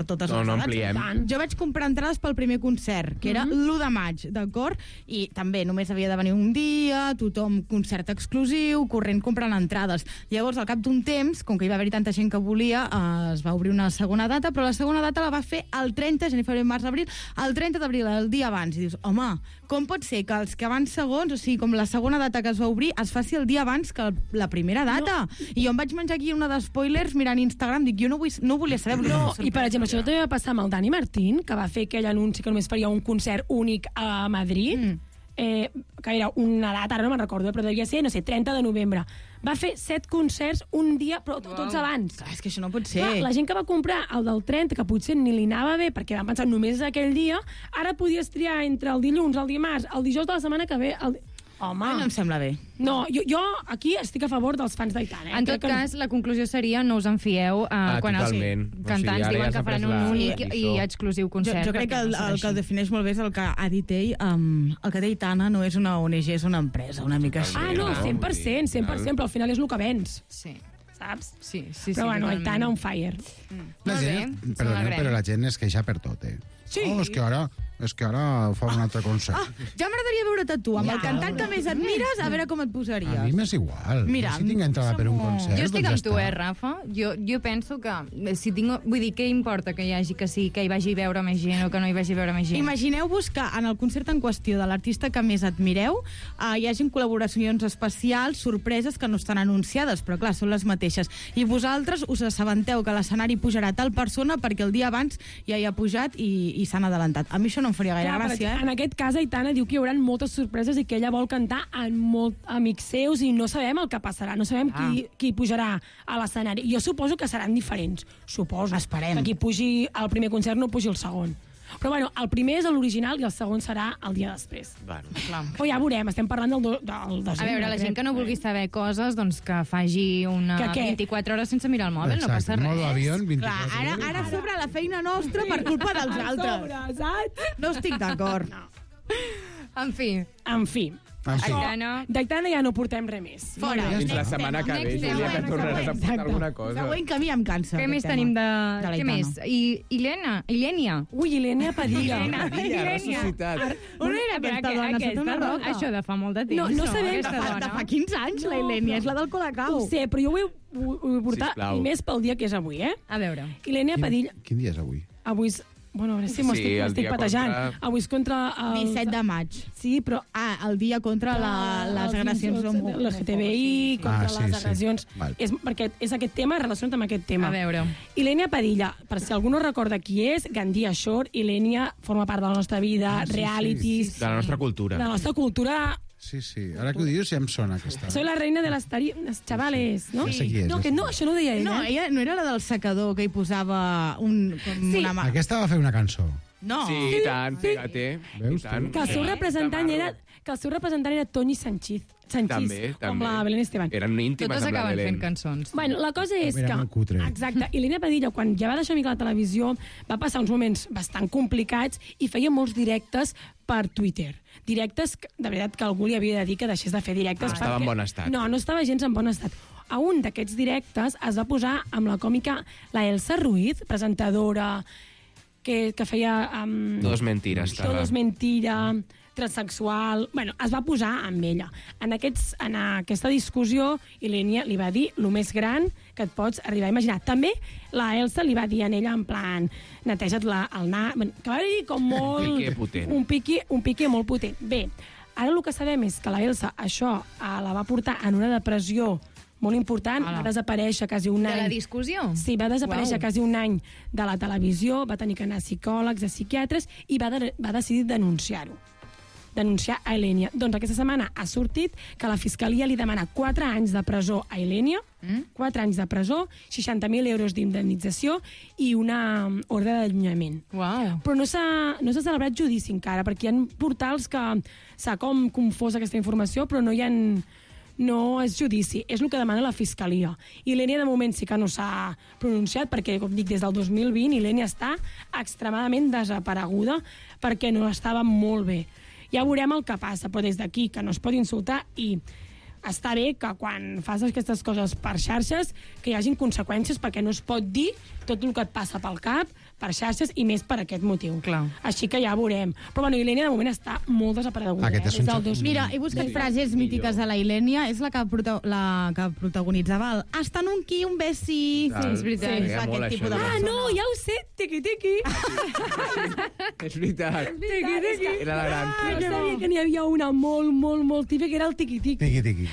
totes les edats. No ampliem. Jo vaig comprar entrades pel primer concert, que era l'1 de maig, d'acord? I també només havia de venir un dia, tothom concert exclusiu, corrent comprant entrades. Llavors, al cap d'un temps, com que hi va haver tanta gent que volia, es va obrir una segona data, però la segona data la va fer el 30, gener, febrer, març, abril, el 30 d'abril, el dia abans. I dius, home, com pot ser que els que van segons, o sigui, com la segona data que es va obrir, es faci el dia abans que la primera data? No. I jo em vaig menjar aquí una d'espoilers mirant Instagram, dic, jo no volia saber. No, i per exemple, això també va passar amb el Dani Martín, que va fer aquell anunci que només faria un concert únic a Madrid, que era una data, ara no me'n recordo, però devia ser, no sé, 30 de novembre. Va fer 7 concerts un dia, però tots abans. Clar, és que això no pot ser. Clar, la gent que va comprar el del 30, que potser ni li anava bé, perquè van pensar només aquell dia, ara podies triar entre el dilluns, el dimarts, el dijous de la setmana que ve... Home. No em sembla bé. No, jo aquí estic a favor dels fans d'Aitana. En tot cas, la conclusió seria no us en fieu quan els cantants diuen que faran un únic i exclusiu concert. Jo crec que el que el defineix molt bé és el que ha dit ell. El que té Aitana no és una ONG, és una empresa, una mica així. Ah, no, 100%, però al final és el que vens. Sí. Saps? Sí. Però bueno, Aitana on fire. La gent, perdoneu, però la gent es queixa per tot, Sí. Oh, és que ara és que ara fa un altre concert. Ja m'agradaria veure't a tu, amb el cantant que més admires, a veure com et posaries. A mi m'és igual. Mira, si tinc entrada per un concert, Jo estic doncs amb tu, Rafa? Jo penso que si tinc... Vull dir, què importa que hi hagi que sí, que hi vagi a veure més gent o que no hi vagi a veure més gent? Imagineu-vos que en el concert en qüestió de l'artista que més admireu hi hagin col·laboracions especials, sorpreses que no estan anunciades, però clar, són les mateixes. I vosaltres us assabenteu que l'escenari pujarà tal persona perquè el dia abans ja hi ha pujat i s'han adelantat. A mi això no em faria gaire gràcia, En aquest cas, Aitana diu que hi haurà moltes sorpreses i que ella vol cantar amb amics seus i no sabem el que passarà, no sabem qui pujarà a l'escenari. Jo suposo que seran diferents, suposo. Esperem. Que qui pugi al primer concert no pugi al segon. Però bueno, el primer és l'original i el segon serà el dia després. Bueno. Però ja veurem, estem parlant del desembre. A veure, la gent que no vulgui saber coses, doncs que faci una 24 hores sense mirar el mòbil, no passa res. Modo avión, 24 Clar, ara sobre la feina nostra per culpa dels altres. No estic d'acord. En fi. D'Aitana ja no portem res més. Fora. Fins la setmana que ve, Júlia, que tornaràs a portar alguna cosa. Següent que a mi em cansa. Què més tenim de... Què més? Ilènia. Ui, Ilènia Padilla. On era aquesta dona? Aquesta dona? Això de fa molt de temps. No sabem. De fa 15 anys, la Ilènia. És la del Colacao. Ho sé, però jo ho vull portar i més pel dia que és avui, eh? A veure. Ilènia Padilla... Quin dia és avui? Avui és... Bueno, a veure si m'estic patejant. Avui és contra... El 17 de maig. Sí, però... el dia contra les agressions LGTBI, contra les agressions... Perquè és aquest tema, relacionat amb aquest tema. A veure. Ilènia Padilla, per si algú no recorda qui és, Gandia Shore, Ilènia forma part de la nostra vida, realities... De la nostra cultura. De la nostra cultura... Sí, ara que ho dius ja em sona aquesta. Soy la reina de les chavales, no? Sí. No, això no ho deia ella. No, ella no era la del secador que hi posava una mà. Aquesta va fer una cançó. No. Sí, i tant, fíjate. Veus tu? Que el seu representant era Toni Sanchís, També. com la Belén Esteban. Eren íntimes Totes amb la acaben Belén. fent cançons. Bueno, la cosa és que... Era molt cutre. Exacte. Ilènia Padilla, quan ja va deixar una mica la televisió, va passar uns moments bastant complicats i feia molts directes per Twitter. Directes, de veritat, que algú li havia de dir que deixés de fer directes. Estava en bon estat. No estava gens en bon estat. A un d'aquests directes es va posar amb la còmica la Elsa Ruiz, presentadora que feia... Todo es mentira. Todo es mentira, transsexual... Bueno, es va posar amb ella. En aquesta discussió, Ilènia li va dir el més gran que et pots arribar a imaginar. També la Elsa li va dir a ella en plan, neteja't el nas... Que va dir com molt... Un pique potent. Un pique molt potent. Bé, ara el que sabem és que la Elsa això la va portar en una depressió molt important, va desaparèixer quasi un any. De la discussió? Sí, va desaparèixer quasi un any de la televisió, va tenir que anar a psicòlegs, a psiquiatres, i va decidir denunciar-ho. Denunciar a Ilènia. Doncs aquesta setmana ha sortit que la Fiscalia li demana 4 anys de presó a Ilènia, 4 anys de presó, 60.000 euros d'indemnització i una ordre d'allunyament. Però no s'ha celebrat judici encara, perquè hi ha portals que s'ha com confós aquesta informació, però no és judici, és el que demana la Fiscalia. I Ilènia, de moment, sí que no s'ha pronunciat, perquè, com dic, des del 2020, Ilènia està extremadament desapareguda perquè no estava molt bé. Ja veurem el que passa, però des d'aquí, que no es pot insultar, i està bé que quan fas aquestes coses per xarxes que hi hagin conseqüències, perquè no es pot dir tot el que et passa pel cap per xarxes i més per aquest motiu. Clar. Així que ja veurem. Però bueno, Ilènia de moment està molt desapareguda. Mira, he buscat frases mítiques de la Ilènia. És la que protagonitzava el hasta nunca, un besi. Sí, és veritat. Sí, Aquest tipus de persona. no, ja ho sé, tiqui-tiqui. És veritat. Tiqui-tiqui. Era la gran. Jo sabia que n'hi havia una molt típica, que era el tiqui-tiqui. Tiqui-tiqui.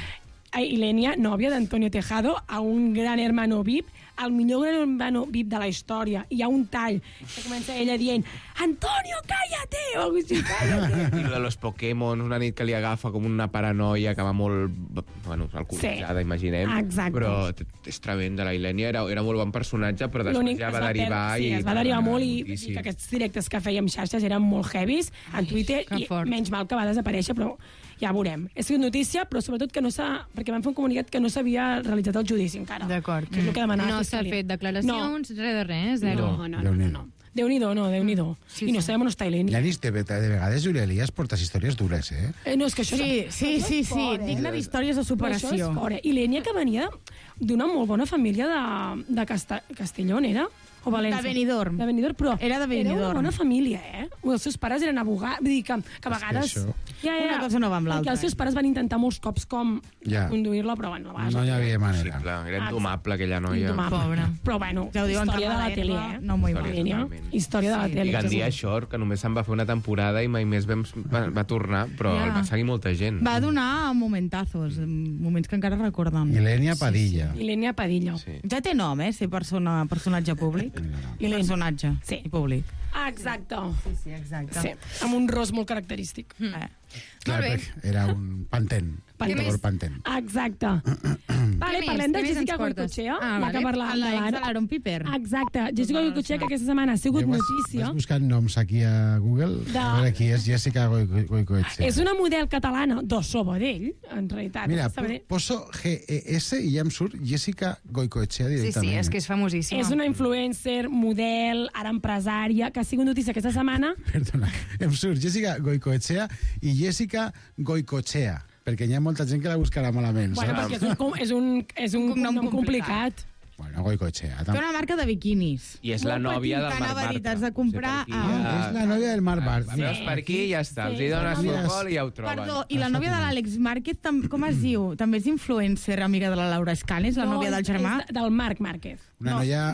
Ilènia, nòvia d'Antonio Tejado, a un gran hermano VIP, el millor gran hermano VIP de la història. Hi ha un tall que comença ella dient Antonio, cállate! O algo així, cállate! I de los Pokémon, una nit que li agafa com una paranoia que va molt, alcoholitzada, imaginem. Exacte. Però és tremenda, la Ilènia era molt bon personatge, però després ja va derivar... Sí, es va derivar molt i que aquests directes que feia amb xarxes eren molt heavies a Twitter i menys mal que va desaparèixer, però ja veurem. És notícia, però sobretot que no s'ha... Perquè van fer un comunicat que no s'havia realitzat el judici encara. D'acord. Que és el que demanava. No s'ha fet declaracions, res de res, zero. No. Déu-n'hi-do, Déu-n'hi-do. I no sabem on està Ilènia. L'anis, de vegades, Júlia Elias portes històries dures, eh? No, és que això... Sí. Digne d'històries de superació. Ilènia, que venia d'una molt bona família de Castellón, era? o València? De Benidorm. De Benidorm, però era de Benidorm. Era una bona família, Els seus pares eren abogats, vull dir que a vegades... Una cosa no va amb l'altra. Els seus pares van intentar molts cops com conduir-la, però bueno... No hi havia manera. Era indomable, aquella noia. Pobra. Però bueno, ja ho diuen, història de la tele, No m'ho imagino. Història de la tele. I Gandia Shore, que només se'n va fer una temporada i mai més va tornar, però el va seguir molta gent. Va donar momentazos, moments que encara recorden. Ilenia Padilla. Ilenia Padilla. Ja té nom, ser personatge públic. Personatge i públic. Exacte. Sí, exacte. Sí, amb un ros molt característic. Clar, era un pantent. Pantent. Exacte. Vale, parlem de Jessica Goicoechea, ja que parlàvem de l'Aaron Piper. Exacte. Jessica Goicoechea, que aquesta setmana ha sigut notícia. Vas buscant noms aquí a Google? A veure qui és Jessica Goicoechea. És una model catalana de Sabadell, en realitat. Mira, poso GES i ja em surt Jessica Goicoechea directament. Sí, és que és famosíssima. És una influencer, model, ara empresària, que ha sigut notícia aquesta setmana. Perdona, em surt Jessica Goicoechea i Jessica Goicoechea, perquè hi ha molta gent que la buscarà malament. Bueno, perquè és un nom complicat. Bueno, Goicoechea. Té una marca de biquinis. I és la nòvia del Marc Bartra. Has de comprar... És la nòvia del Marc Bartra. Veus per aquí i ja està. Els hi dones futbol i ja ho troben. Perdó, i la nòvia de l'Àlex Márquez, com es diu? També és influencer, amiga de la Laura Escanes, la nòvia del germà? No, és del Marc Márquez. Una noia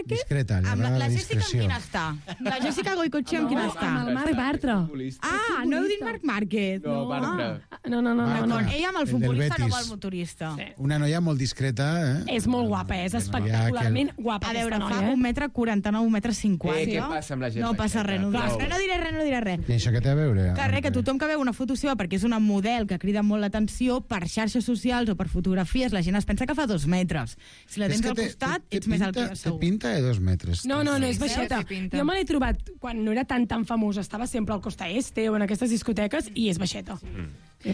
discreta, li agrada la discreció. Amb la Jessica amb quina està? La Jessica Goicoechea amb quina està? Amb el Marc Bartra. No heu dit Marc Márquez. No, Bartra. No. Ella amb el futbolista, no amb el motorista. Una noia molt discreta, És molt guapa, és espectacularment guapa. A veure, fa 1,49 m, 1,50 m. Què passa amb la gent? No passa res, no diré res. I això què té a veure? Que tothom que veu una foto seva perquè és una model que crida molt l'atenció per xarxes socials o per fotografies, la gent es pensa que fa 2 metres. Si la tens al costat, ets més alt que jo segur. Té pinta de 2 metres. No, és baixeta. Jo me l'he trobat quan no era tan famosa, estava sempre al Costa Este o en aquestes discoteques i és baixeta.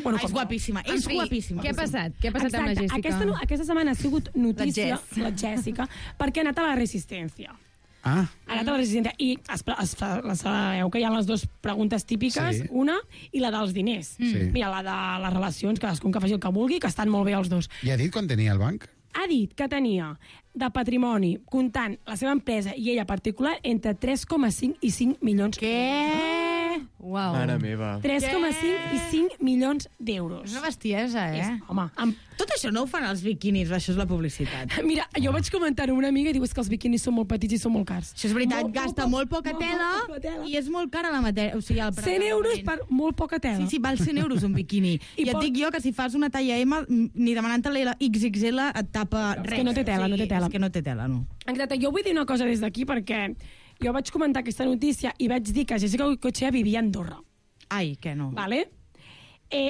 Bueno, és guapíssima, és guapíssima. Què ha passat? Què ha passat amb la Jessica? Aquesta setmana ha sigut notícia, la Jessica, perquè ha anat a la Resistència. Ha anat a la Resistència i sabeu que hi ha les 2 preguntes típiques, una i la dels diners. Mira, la de les relacions, cadascun que faci el que vulgui, que estan molt bé els 2. I ha dit quan tenia el banc? Ha dit que tenia de patrimoni, comptant la seva empresa i ella particular, entre 3,5 i 5 milions. Què? Uau. Mare meva. 3,5 i 5 milions d'euros. És una bestiesa, Home, tot això no ho fan els biquinis, això és la publicitat. Mira, jo vaig comentar-ho a una amiga i diu que els biquinis són molt petits i són molt cars. Això és veritat, gasta molt poca tela i és molt cara la matèria. O sigui, 100 euros per molt poca tela. Sí, val 100 euros un biquini. I et dic jo que si fas una talla M, ni demanant-te la XXL et tapa res. És que no té tela, no té tela. És que no té tela, no. Exacte, jo vull dir una cosa des d'aquí perquè jo vaig comentar aquesta notícia i vaig dir que Jessica Goicoechea vivia a Andorra. Ai, que no. Vale?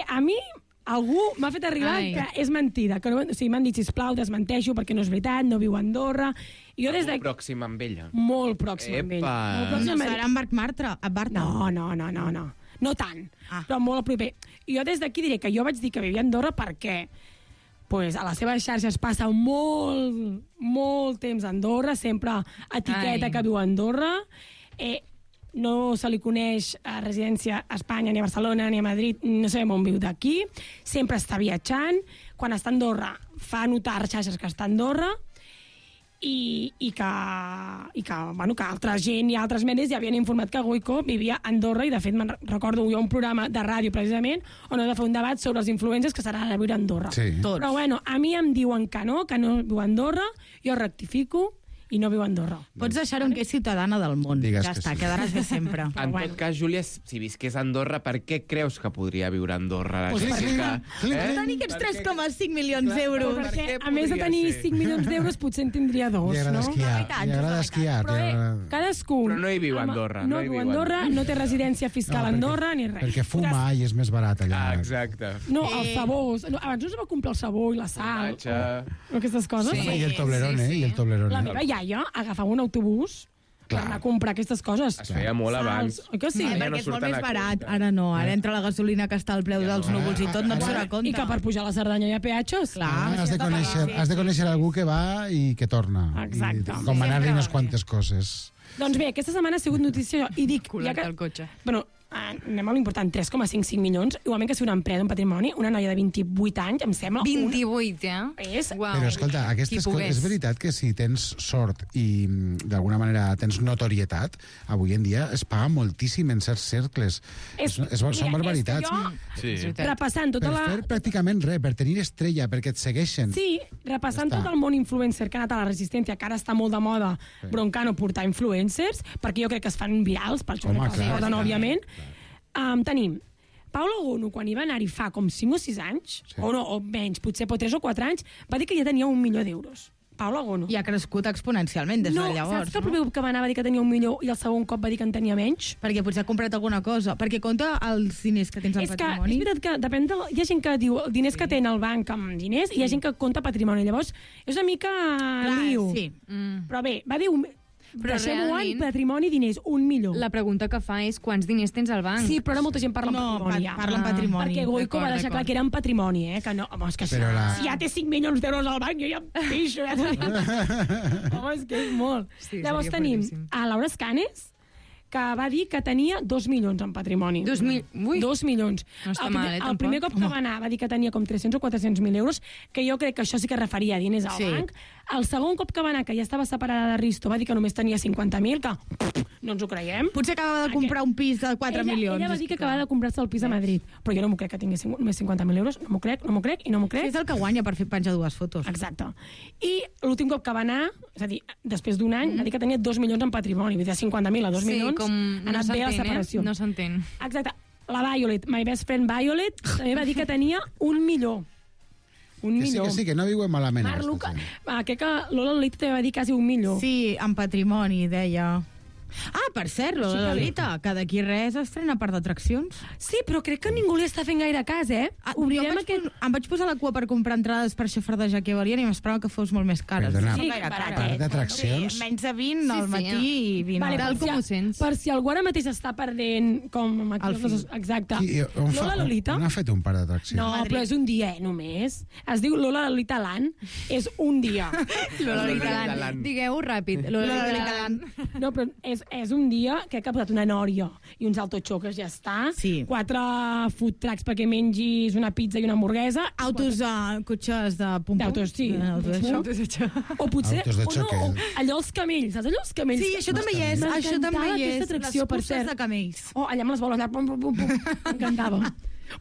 A mi algú m'ha fet arribar que és mentida. Que no, o sigui, m'han dit, sisplau, desmenteixo perquè no és veritat, no viu a Andorra. I jo des Molt pròxim amb ella. Molt pròxim amb ella. No serà en Marc Bartra? No. No tant, però molt a proper. I jo des d'aquí diré que jo vaig dir que vivia a Andorra perquè a les seves xarxes passa molt temps a Andorra, sempre etiqueta que viu a Andorra. No se li coneix a residència a Espanya, ni a Barcelona, ni a Madrid, no sabem on viu d'aquí. Sempre està viatjant. Quan està a Andorra, fa notar a xarxes que està a Andorra i que altra gent i altres medis ja havien informat que Goico vivia a Andorra i, de fet, me'n recordo jo un programa de ràdio, precisament, on he de fer un debat sobre els influencers que seran a viure a Andorra. Sí. Però, bueno, a mi em diuen que no viu a Andorra, jo rectifico i no viu a Andorra. Pots deixar-ho que és ciutadana del món. Digues ja que està, sí. quedaràs bé sempre. En tot cas, Júlia, si visqués a Andorra, per què creus que podria viure a Andorra? Per tenir aquests 3,5 milions d'euros. Perquè, a més de tenir 5 milions d'euros, potser en tindria 2, Li agrada esquiar. Li agrada esquiar. Cadascú. Però no hi viu a Andorra. No viu a Andorra, no té residència fiscal a Andorra, ni res. Perquè fuma i és més barat allà. Exacte. No, els sabors. Abans no es va comprar el sabó i la sal. O aquestes coses. I el Toblerone, i el Toblerone. La meva iaia agafava un autobús per anar a comprar aquestes coses. Es feia molt abans. Que sí? Perquè és molt més barat. Ara no, ara entra la gasolina que està al preu dels núvols i tot, no et dona compte. I que per pujar a la Cerdanya hi ha peatges. Has de conèixer algú que va i que torna. Exacte. Com anar-li unes quantes coses. Doncs bé, aquesta setmana ha sigut notícia i dic... Colar-te al cotxe. Bueno, anem a l'important, 3,55 milions, igualment que si una empresa, un patrimoni, una noia de 28 anys, em sembla... 28, És... Però escolta, és veritat que si tens sort i d'alguna manera tens notorietat, avui en dia es paga moltíssim en certs cercles. Són barbaritats. Repassant tota per fer pràcticament res, per tenir estrella, perquè et segueixen. Sí, repassant tot el món influencer que ha anat a la Resistència, que ara està molt de moda broncano portar influencers, perquè jo crec que es fan virals, per això que els porten, òbviament. Tenim Paula Gono, quan hi va anar-hi fa com 5 o 6 anys, o menys, potser 3 o 4 anys, va dir que ja tenia 1 milió d'euros. Paula Gono. I ha crescut exponencialment des de llavors. Saps que el primer cop que va anar va dir que tenia 1 milió i el segon cop va dir que en tenia menys? Perquè potser ha comprat alguna cosa. Perquè compta els diners que tens al patrimoni. És veritat que depèn hi ha gent que diu els diners que té al banc amb diners i hi ha gent que compta patrimoni. Llavors, és una mica lío. Però bé, va dir... Però deixem-ho en patrimoni, diners, 1 milió. La pregunta que fa és quants diners tens al banc. Sí, però ara molta gent parla en patrimoni. Parla en patrimoni. Perquè Goico va deixar clar que era en patrimoni, que no, home, és que si ja té 5 milions d'euros al banc, jo ja em pixo. Home, és que és molt. Llavors tenim a Laura Escanes, que va dir que tenia 2 milions en patrimoni. 2 milions. No està mal, el primer cop que va anar va dir que tenia com 300 o 400.000 euros, que jo crec que això sí que referia a diners al banc. El segon cop que va anar, que ja estava separada de Risto, va dir que només tenia 50.000, que no ens ho creiem. Potser acaba de comprar un pis de 4 milions. Ella va dir que acaba de comprar-se el pis a Madrid, però jo no m'ho crec que tingués només 50.000 euros, no m'ho crec i no m'ho crec. És el que guanya per fer penjar 2 fotos. Exacte. I l'últim cop que va anar, és a dir, després d'un any, va dir que tenia 2 milions en patrimoni, de 50.000 a 2 milions, ha anat bé la separació. No s'entén. Exacte. La Violet, my best friend Violet, també va dir que tenia 1 milió. Que sí, que no viuen malament. Crec que Lola Lolita també va dir quasi 1 milió. Sí, en patrimoni, deia. Ah, per cert, Lola Lolita, que d'aquí res estrena Parc d'Atraccions. Sí, però crec que ningú li està fent gaire cas, Em vaig posar a la cua per comprar entrades per xafardejar que valien i m'esperava que fos molt més cares. Perdona, Parc d'Atraccions? Menys de 20 al matí i 20 al tal com ho sents. Per si algú ara mateix està perdent com... Exacte. Lola Lolita... On ha fet un Parc d'Atraccions? No, però és un dia, només. Es diu Lola Lolita Land. És un dia. Lola Lolita Land. Digueu-ho ràpid. Lola Lolita Land. No, però és un dia que ha posat una nòria i uns autoxoques, ja està. 4 food trucks perquè mengis una pizza i una hamburguesa. Cotxes de pum-pum. D'autos, sí. O potser... allò els camells, saps allò els camells? Sí, això també hi és. Això també hi és. Les curses de camells. Allà amb les boles, allà, pum, pum, pum, pum. M'encantava.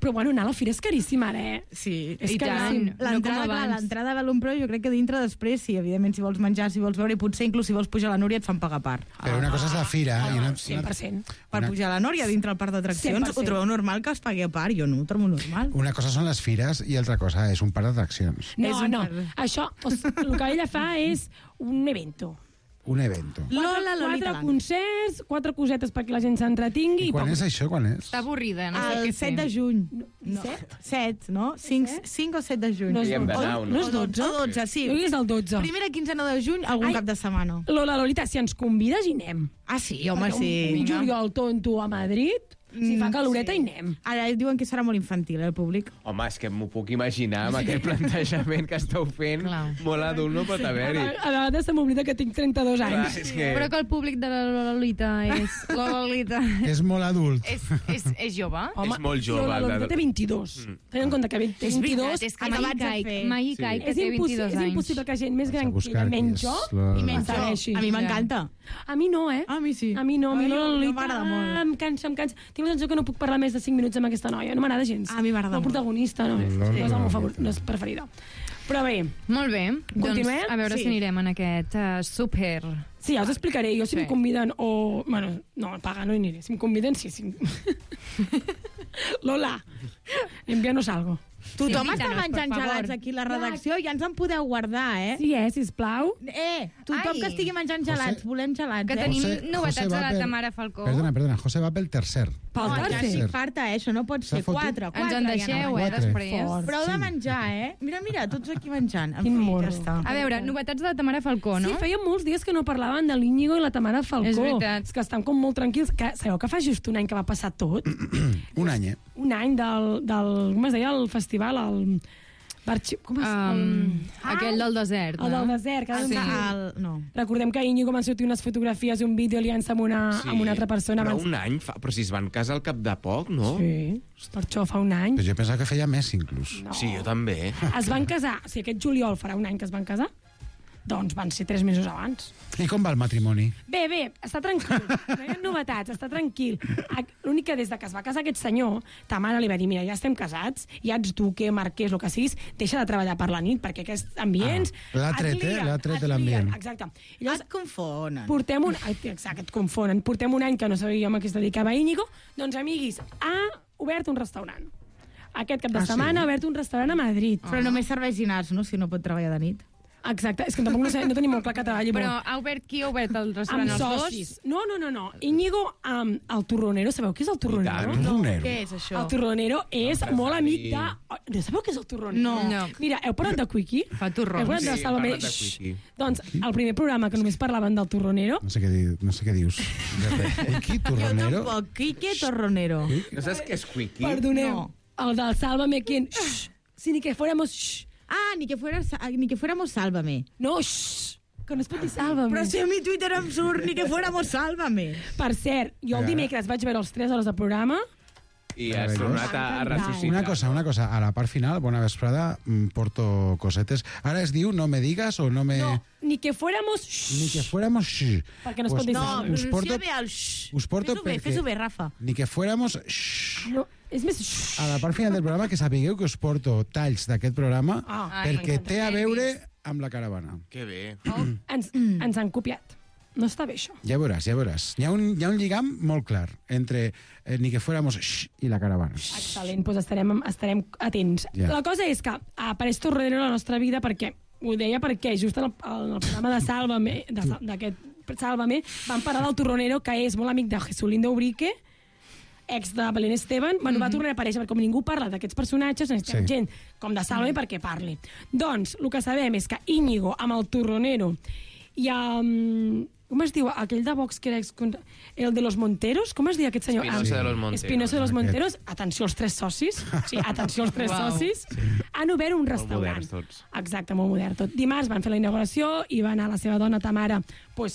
Però bueno, anar a la fira és caríssim ara, Sí, és caríssim. L'entrada de l'Ompro, jo crec que dintre després, sí, evidentment, si vols menjar, si vols veure, i potser inclús si vols pujar a la Núria et fan pagar part. Però una cosa és la fira. 100%. Per pujar a la Núria dintre el parc d'atraccions, ho trobeu normal que es pagui a part? Jo no ho trobo normal. Una cosa són les fires i altra cosa és un parc d'atraccions. No, això, el que ella fa és un evento. Un evento. Lola Lolita 4 concerts, 4 cosetes perquè la gent s'entretingui. I quan és això? Quan és? Està avorrida. El 7 de juny. 7, no? 5 o 7 de juny. No és 12? O 12, sí. No és el 12. Primera quinzena de juny, algun cap de setmana. Lola Lolita, si ens convides hi anem. Ah, sí, home, sí. Un juliol tonto a Madrid... Si fa caloreta, hi anem. Ara diuen que serà molt infantil, el públic. Home, és que m'ho puc imaginar amb aquest plantejament que esteu fent. Molt adult no pot haver-hi. A vegades se m'oblida que tinc 32 anys. Però que el públic de la Lolita és... La Lolita... És molt adult. És jove? És molt jove. La Lolita té 22. Tenint en compte que té 22... És que mai caic, que té 22 anys. És impossible que gent més gran que ella, menys jo, i menys segueixi. A mi m'encanta. A mi no, A mi sí. A mi no. A mi la Lolita m'agrada molt. em cansa. Tinc la sensació que no puc parlar més de 5 minuts amb aquesta noia. No m'agrada gens. A mi m'agrada molt. El protagonista no és el meu favorit, no és preferida. Però bé. Molt bé. Continuem? Doncs a veure si anirem en aquest súper. Sí, ja us explicaré. Jo si em conviden o... Bueno, no, paga, no hi aniré. Si em conviden, sí. Lola, envíanos algo. Tothom està menjant gelats aquí a la redacció, ja ens en podeu guardar, Sí, sisplau. Tothom que estigui menjant gelats, volem gelats, Que tenim novetats de la Tamara Falcó. Perdona, José va pel tercer. Ja estic farta, això no pot ser 4. Ens en deixeu, després. Prou de menjar, Mira, tots aquí menjant. Quin morro. A veure, novetats de la Tamara Falcó, no? Sí, feia molts dies que no parlaven de l'Íñigo i la Tamara Falcó. És veritat. És que estan com molt tranquils. Sabeu que fa just un any que va passar tot? Un any, Un any del com es deia, el festival, Com es... Aquell del desert. El del desert. Recordem que Íñigo van sortir unes fotografies i un vídeo liant-se amb una altra persona. Però un any fa... Però si es van casar al cap de poc, no? Sí, per això fa un any. Però jo pensava que feia més, inclús. No. Sí, jo també. Es van casar, o sigui, aquest juliol farà un any que es van casar, doncs van ser 3 mesos abans. I com va el matrimoni? Bé, està tranquil. No hi ha novetats, està tranquil. L'únic que des de que es va casar aquest senyor, ta mare li va dir, mira, ja estem casats, ja ets duque, marquès, el que siguis, deixa de treballar per la nit, perquè aquests ambients... L'ha tret de l'ambient. Exacte. Et confonen. Exacte, et confonen. Portem un any que no sabíem a què es dedicava Íñigo, doncs, amiguis, ha obert un restaurant. Aquest cap de setmana ha obert un restaurant a Madrid. Però només serveix dinars, no? Si no pot treballar de nit. Exacte, és que tampoc no tenim molt clar que treballi molt. Però ha obert qui ha obert el restaurant? Amb socis. No. Íñigo, el Torronero, sabeu què és el Torronero? No, què és això? El Torronero és molt amic de... No sabeu què és el Torronero? No. Mira, heu parlat de Quickie? Fa torrons. Heu parlat de Sálvame? Quickie. Doncs el primer programa que només parlaven del Torronero... No sé què dius. Quickie, Torronero? Jo tampoc. Quickie, Torronero. No saps què és Quickie? Perdoneu. El del Sálvame, ¿quién? Si ni que fuéramos... ni que fuéramos Sálvame. No, que no es pot dir Sálvame. Però si a mi Twitter em surt ni que fuéramos Sálvame. Per cert, jo el dimecres vaig veure els 3 hores de programa i has tornat a ressuscitar. Una cosa, a la part final, bona vesprada, porto cosetes. Ara es diu no me digas o no me... No, ni que fuéramos... Ni que fuéramos... Perquè no es pot dir Sálvame. No, pronuncia bé el us porto fes-ho bé, Rafa. Ni que fuéramos... No, és més... A la part final del programa, que sapigueu que us porto talls d'aquest programa perquè té a veure amb la caravana. Que bé. Ens han copiat. No està bé, això. Ja veuràs. Hi ha un lligam molt clar entre ni que fuéramos i la caravana. Excel·lent, doncs estarem atents. La cosa és que apareix Torronero a la nostra vida perquè, ho deia perquè just en el programa de Sálvame, d'aquest Sálvame, van parlar del Torronero, que és molt amic de Jesulindo Ubrique, ex de Belén Esteban, va tornar a aparèixer, perquè com ningú parla d'aquests personatges, necessitem gent com de Sálvame perquè parli. Doncs, el que sabem és que Íñigo, amb el Torronero, i amb... Com es diu? Aquell de Vox que era el de los Monteros? Com es diu aquest senyor? Espinosa de los Monteros. Espinosa de los Monteros. Atenció als 3 socis. Sí, atenció als 3 socis. Han obert un restaurant. Molt moderns tots. Exacte, molt modern tot. Dimarts van fer la inauguració i va anar la seva dona Tamara per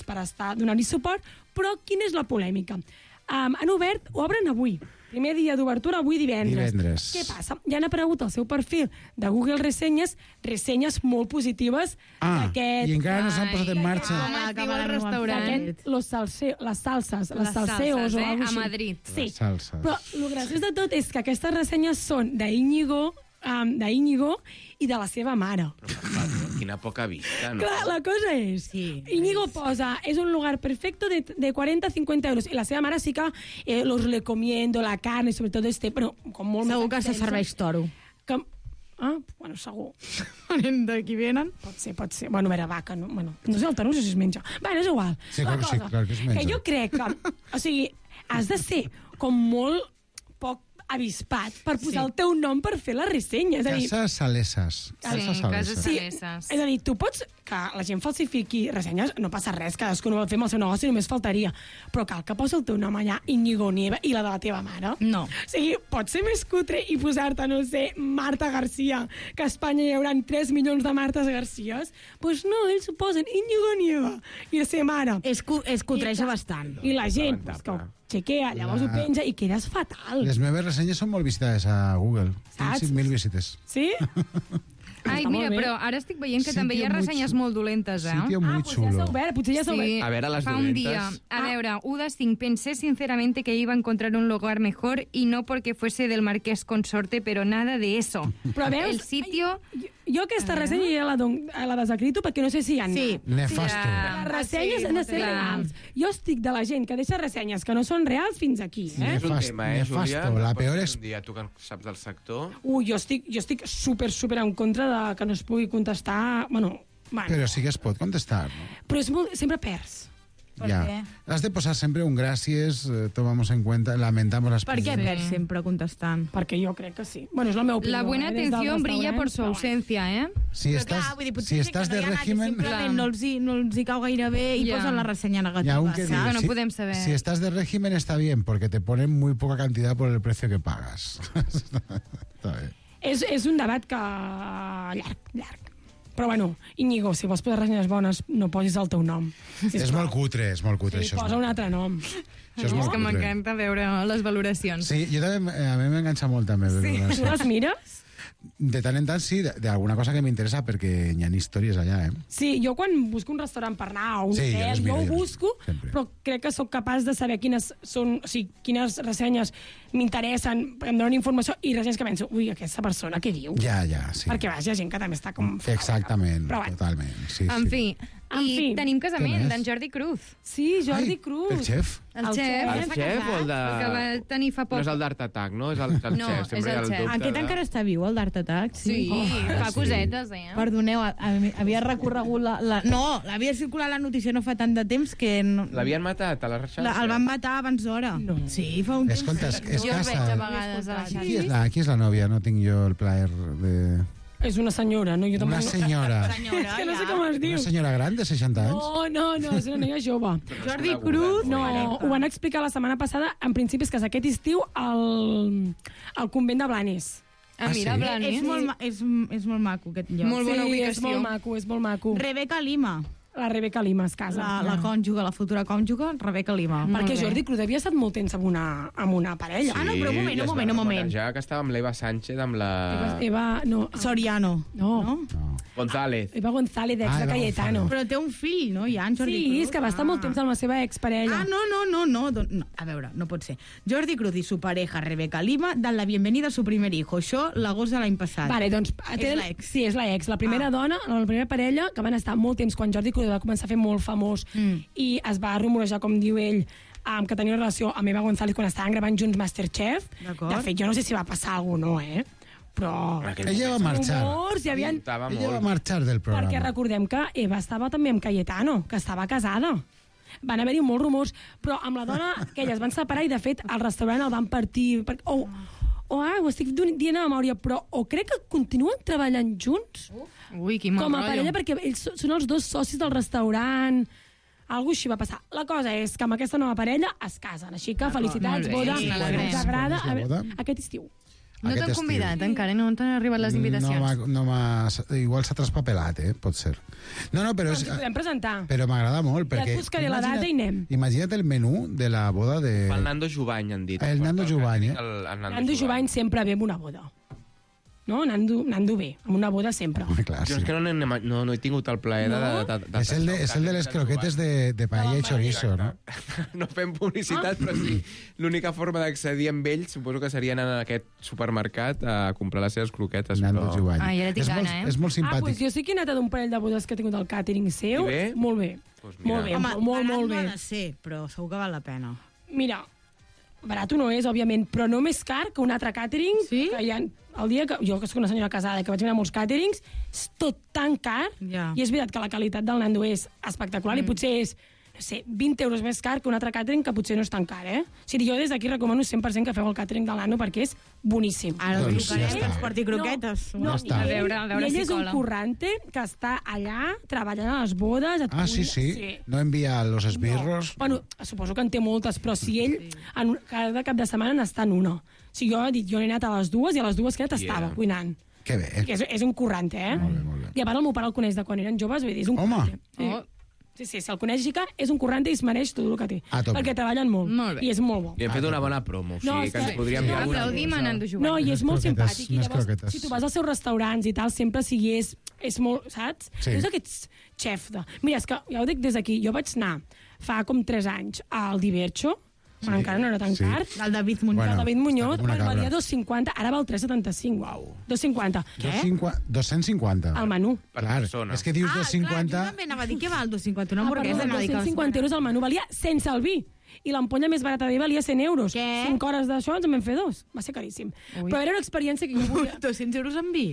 donar-hi suport. Però quina és la polèmica? Han obert, obren avui. Primer dia d'obertura, avui divendres. Què passa? Ja han aparegut al seu perfil de Google Ressenyes molt positives d'aquest... I encara no s'han posat en marxa. Com es diu el restaurant? Les salses o alguna cosa a Madrid. Sí, però el graciós de tot és que aquestes ressenyes són d'Íñigo i de la seva mare. Quina poca vista, no? Clar, la cosa és... Íñigo posa, és un lugar perfecto de 40-50 euros. I la seva mare sí que los recomiendo, la carne, sobretot però com molt... Segur que se serveix toro. Bueno, segur. D'aquí venen? Pot ser. Bueno, a veure, vaca, no? Bueno, no sé el toro, no sé si es menja. Bueno, és igual. Sí, clar que es menja. Que jo crec que... O sigui, has de ser com molt poc avispat per posar el teu nom per fer la ressenya. Cases Saleses. Sí, és a dir, tu pots... Que la gent falsifiqui ressenyes, no passa res, cadascú no vol fer amb el seu negoci, només faltaria. Però cal que posi el teu nom allà, Íñigo Nieva, i la de la teva mare. No. O sigui, pot ser més cutre i posar-te, no sé, Marta García, que a Espanya hi haurà 3 milions de Martes Garcías. Doncs no, ells ho posen Íñigo Nieva i la seva mare. Es cutreja bastant. I la gent, que ho chequea, llavors ho penja i quedes fatal. Les meves ressenyes són molt visitades a Google. Saps? 5.000 visites. Sí? Ai, mira, però ara estic veient que també hi ha ressenyes molt dolentes, Sitio muy chulo. Potser ja s'ha obert. A veure, les fa un día. A veure, 1 de 5. Pensé sinceramente que iba a encontrar un lugar mejor y no porque fuese del Marqués Consorte, pero nada de eso. Però veus? El sitio... Jo aquesta ressenya ja la desacrito perquè no sé si hi ha... Sí, nefasto. Les ressenyes han de ser reals. Jo estic de la gent que deixa ressenyes que no són reals fins aquí. És un tema, Júlia? La peor és... Tu que saps del sector... Jo estic super en contra de que no es pugui contestar... Bueno. Però sí que es pot contestar, no? Però és sempre perds. ¿Por qué? Has de posar sempre un gràcies, tomamos en cuenta, lamentamos las ¿Por qué perds sempre contestant? Perquè jo crec que sí. Bueno, és la meva opinió. La buena atención brilla por su ausencia, ¿eh? Si estàs de régimen... No els hi cau gaire bé i posen la ressenya negativa. No podem saber. Si estás de régimen está bien, porque te ponen muy poca cantidad por el precio que pagas. Está bien. És un debat que... llarg. Però bueno, Íñigo, si vols posar ressenyes bones, no posis el teu nom. És molt cutre, Sí, això. posa un altre nom. Això és molt que cutre. m'encanta veure les valoracions. Sí, jo també, a mi m'enganxa molt també. Sí. Tu les mires? De tant en tant, sí, d'alguna cosa que m'interessa, perquè hi ha històries allà, eh? Sí, jo quan busco un restaurant per anar o un Sí, hotel, jo ho jo busco, sempre. però crec que sóc capaç de saber quines són, o sigui, quines ressenyes m'interessen, em donen informació, i ressenyes que penso, ui, aquesta persona què diu? Ja, sí. Perquè, vaja, hi ha gent que també està com... Exactament, Però bueno. totalment. Sí, En fi, i tenim Què casament més? d'en Jordi Cruz. Sí, Jordi Cruz. El xef? El xef. El xef o el de... Que va tenir fa poc. No és el d'Art Attack, no? És el No, xef. és Sempre hi ha el xef. dubte Aquest encara està viu, el d'Art Attack? Sí, fa cosetes, Perdoneu, havia recorregut la... No, l'havia circulat la notícia no fa tant de temps que... No... L'havien matat a la xarxa? El van matar abans d'hora. No. Sí, fa un temps. Escolta, és Jo el veig a casa. vegades a la Qui és la nòvia? No tinc jo el plaer de... És una senyora, no? Jo Una senyora. És que no sé com es diu. Una senyora gran de 60 anys? No, és una noia jove. Jordi Cruz? No, ho van explicar la setmana passada. En principi és que és aquest estiu al convent de Blanes. Mira, Blanes. És molt maco, aquest lloc. Molt bona ubicació. És molt maco. Rebeca Lima. La Rebeca Lima es casa. La cònjuga, la futura cònjuga, Rebeca Lima. Perquè Jordi Cruz havia estat molt temps amb una parella. Ah, no, però un moment. Ja que estava amb l'Eva Sánchez, amb la... Eva, no. Soriano. No. González. Eva González, ex de Cayetano. Però té un fill, no? Ja, en Jordi Cruz. Sí, és que va estar molt temps amb la seva exparella. No. A veure, no pot ser. Jordi Cruz i su pareja, Rebeca Lima, dan la bienvenida a su primer hijo. Això l'agost de l'any passat. Vale, doncs... És l'ex. Sí, és l'ex. La primera dona, la primera parella, que van estar molt temps quan Jordi Cruz va començar a fer molt famós i es va rumorejar, com diu ell, que tenia una relació amb Eva González quan estaven gravant junts Masterchef. De fet, jo no sé si va passar alguna cosa, no, però... Ella va marxar. Ella va marxar del programa. Perquè recordem que Eva estava també amb Cayetano, que estava casada. Van haver-hi molts rumors, però amb la dona que elles van separar i, de fet, al restaurant el van partir... ho estic dient a memòria, però crec que continuen treballant junts. Ui, quin mal com a rotllo. parella, perquè ells són els dos socis del restaurant. Algo així va passar. La cosa és que amb aquesta nova parella es casen, així que felicitats, boda. Sí, Ens agrada Quan és la boda? aquest estiu. No t'han convidat encara, no t'han arribat les invitacions. Igual s'ha traspapelat, pot ser. No, però... Ens ho podem presentar. Però m'agrada molt, perquè... Ja et buscaré la data i anem. Imagina't el menú de la boda de... El Nando Jubany, han dit. El Nando Jubany, Nando Jubany sempre ve amb una boda. No? Nando ve, amb una boda sempre. Clar, jo és que no he tingut el plaer de... És el de les croquetes de paella i chorizo, no? No fem publicitat, però sí. L'única forma d'accedir amb ells suposo que seria anar a aquest supermercat a comprar les seves croquetes. Nando Jubany. Ah, ja tinc gana, És molt simpàtic. Doncs jo sí que he anat a d'un parell de bodes que he tingut al càtering seu. I bé? Molt bé. Pues molt bé, molt bé. No ha de ser, però segur que val la pena. Mira, barat no és, òbviament, però no més car que un altre càtering. Sí? Que hi ha, el dia que jo, que soc una senyora casada, que vaig anar a molts càterings, és tot tan car, i és veritat que la qualitat del Nando és espectacular, i potser és, no sé, 20 euros més car que un altre càtering que potser no és tan car, O sigui, jo des d'aquí recomano 100% que feu el càtering del Nando perquè és boníssim. Ara el trucaré, ens porti croquetes. No, està. I ell és un currante que està allà treballant a les bodes. Sí. No envia los esbirros. No. Bueno, suposo que en té moltes, però si ell cada cap de setmana n'està en una. O sigui, jo he anat a les dues i a les dues que estava cuinant. Que bé. És un currante, Molt bé. I a part el meu pare el coneix de quan eren joves, vull dir, és un currante. Sí, si el coneix que és un currante i es mereix tot el que té. Perquè treballen molt. I és molt bo. Li hem fet una bona promo, o sigui que ens podríem dir alguna Aplaudim a Nando Jubany. No, i és molt simpàtic. I llavors, croquetes. si tu vas als seus restaurants i tal, sempre sigui és molt, saps? Sí. És aquest xef de... Mira, és que ja ho dic des d'aquí, jo vaig anar fa com 3 anys al Divercho, quan encara no era tan car. El David Muñoz. El David Muñoz, una cabra. valia 2,50, ara val 3,75. Uau. 2,50. Què? 250. El menú. Clar, és que dius 250... Jo també anava a dir que val 250, una hamburguesa. 250 euros el menú valia sense el vi. I l'ampolla més barata d'ell valia 100 euros. Què? 5 hores d'això ens en vam fer 2. Va ser caríssim. Però era una experiència que jo volia... 200 euros en vi?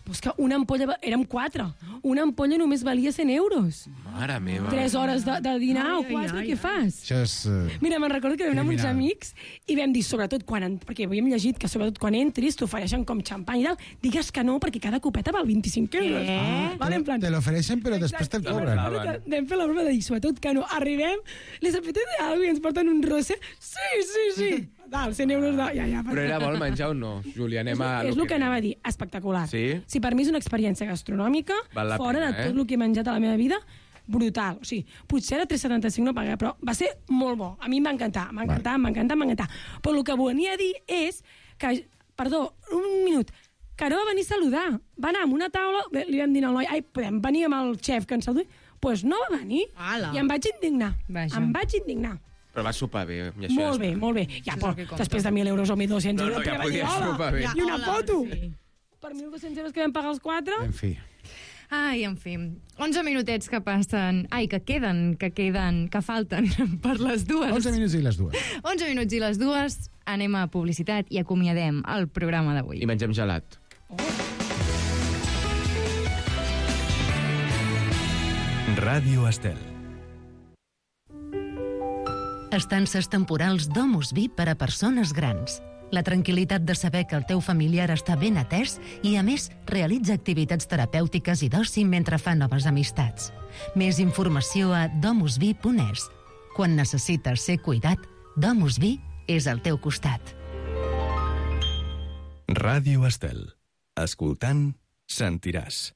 Pues que una ampolla... Érem 4. Una ampolla només valia 100 euros. Mare meva. 3 hores de dinar o 4, què fas? Això és... Mira, me'n recordo que vam anar amb uns amics i vam dir, sobretot quan... Perquè havíem llegit que sobretot quan entris t'ofereixen com xampany i tal, digues que no perquè cada copeta val 25 euros. Vale, en plan... Te l'ofereixen però després te'l cobren. Vam fer la broma de dir, sobretot que no. Arribem, les apetece algo i ens porten un rosé. Sí. Total, 100 euros de... Ja, Però era bo el menjar o no, Júlia? Anem a... És el que anava a dir, espectacular. Sí? Si per mi és una experiència gastronòmica, fora de tot el que he menjat a la meva vida, brutal. O sigui, potser era 3,75 no pagué, però va ser molt bo. A mi em va encantar, m'encanta. Però el que venia a dir és que... Perdó, un minut. Que no va venir a saludar. Va anar a una taula, li vam dir al noi, ai, podem venir amb el xef que ens saludi? Doncs no va venir. I em vaig indignar. Però va sopar bé. Molt bé. Ja, però després de 1.000 euros o 1.200 euros... No, ja podia sopar bé. I una foto. Per 1.200 euros que vam pagar els 4... En fi. Ai, en fi. 11 minutets que passen... Ai, que falten per les dues. 11 minuts i les dues. 11 minuts i les dues. Anem a publicitat i acomiadem el programa d'avui. I mengem gelat. Ràdio Estel. Estances temporals Domus Vi per a persones grans. La tranquil·litat de saber que el teu familiar està ben atès i, a més, realitza activitats terapèutiques i d'oci mentre fa noves amistats. Més informació a domusvi.es. Quan necessites ser cuidat, Domus Vi és al teu costat. Ràdio Estel. Escoltant, sentiràs.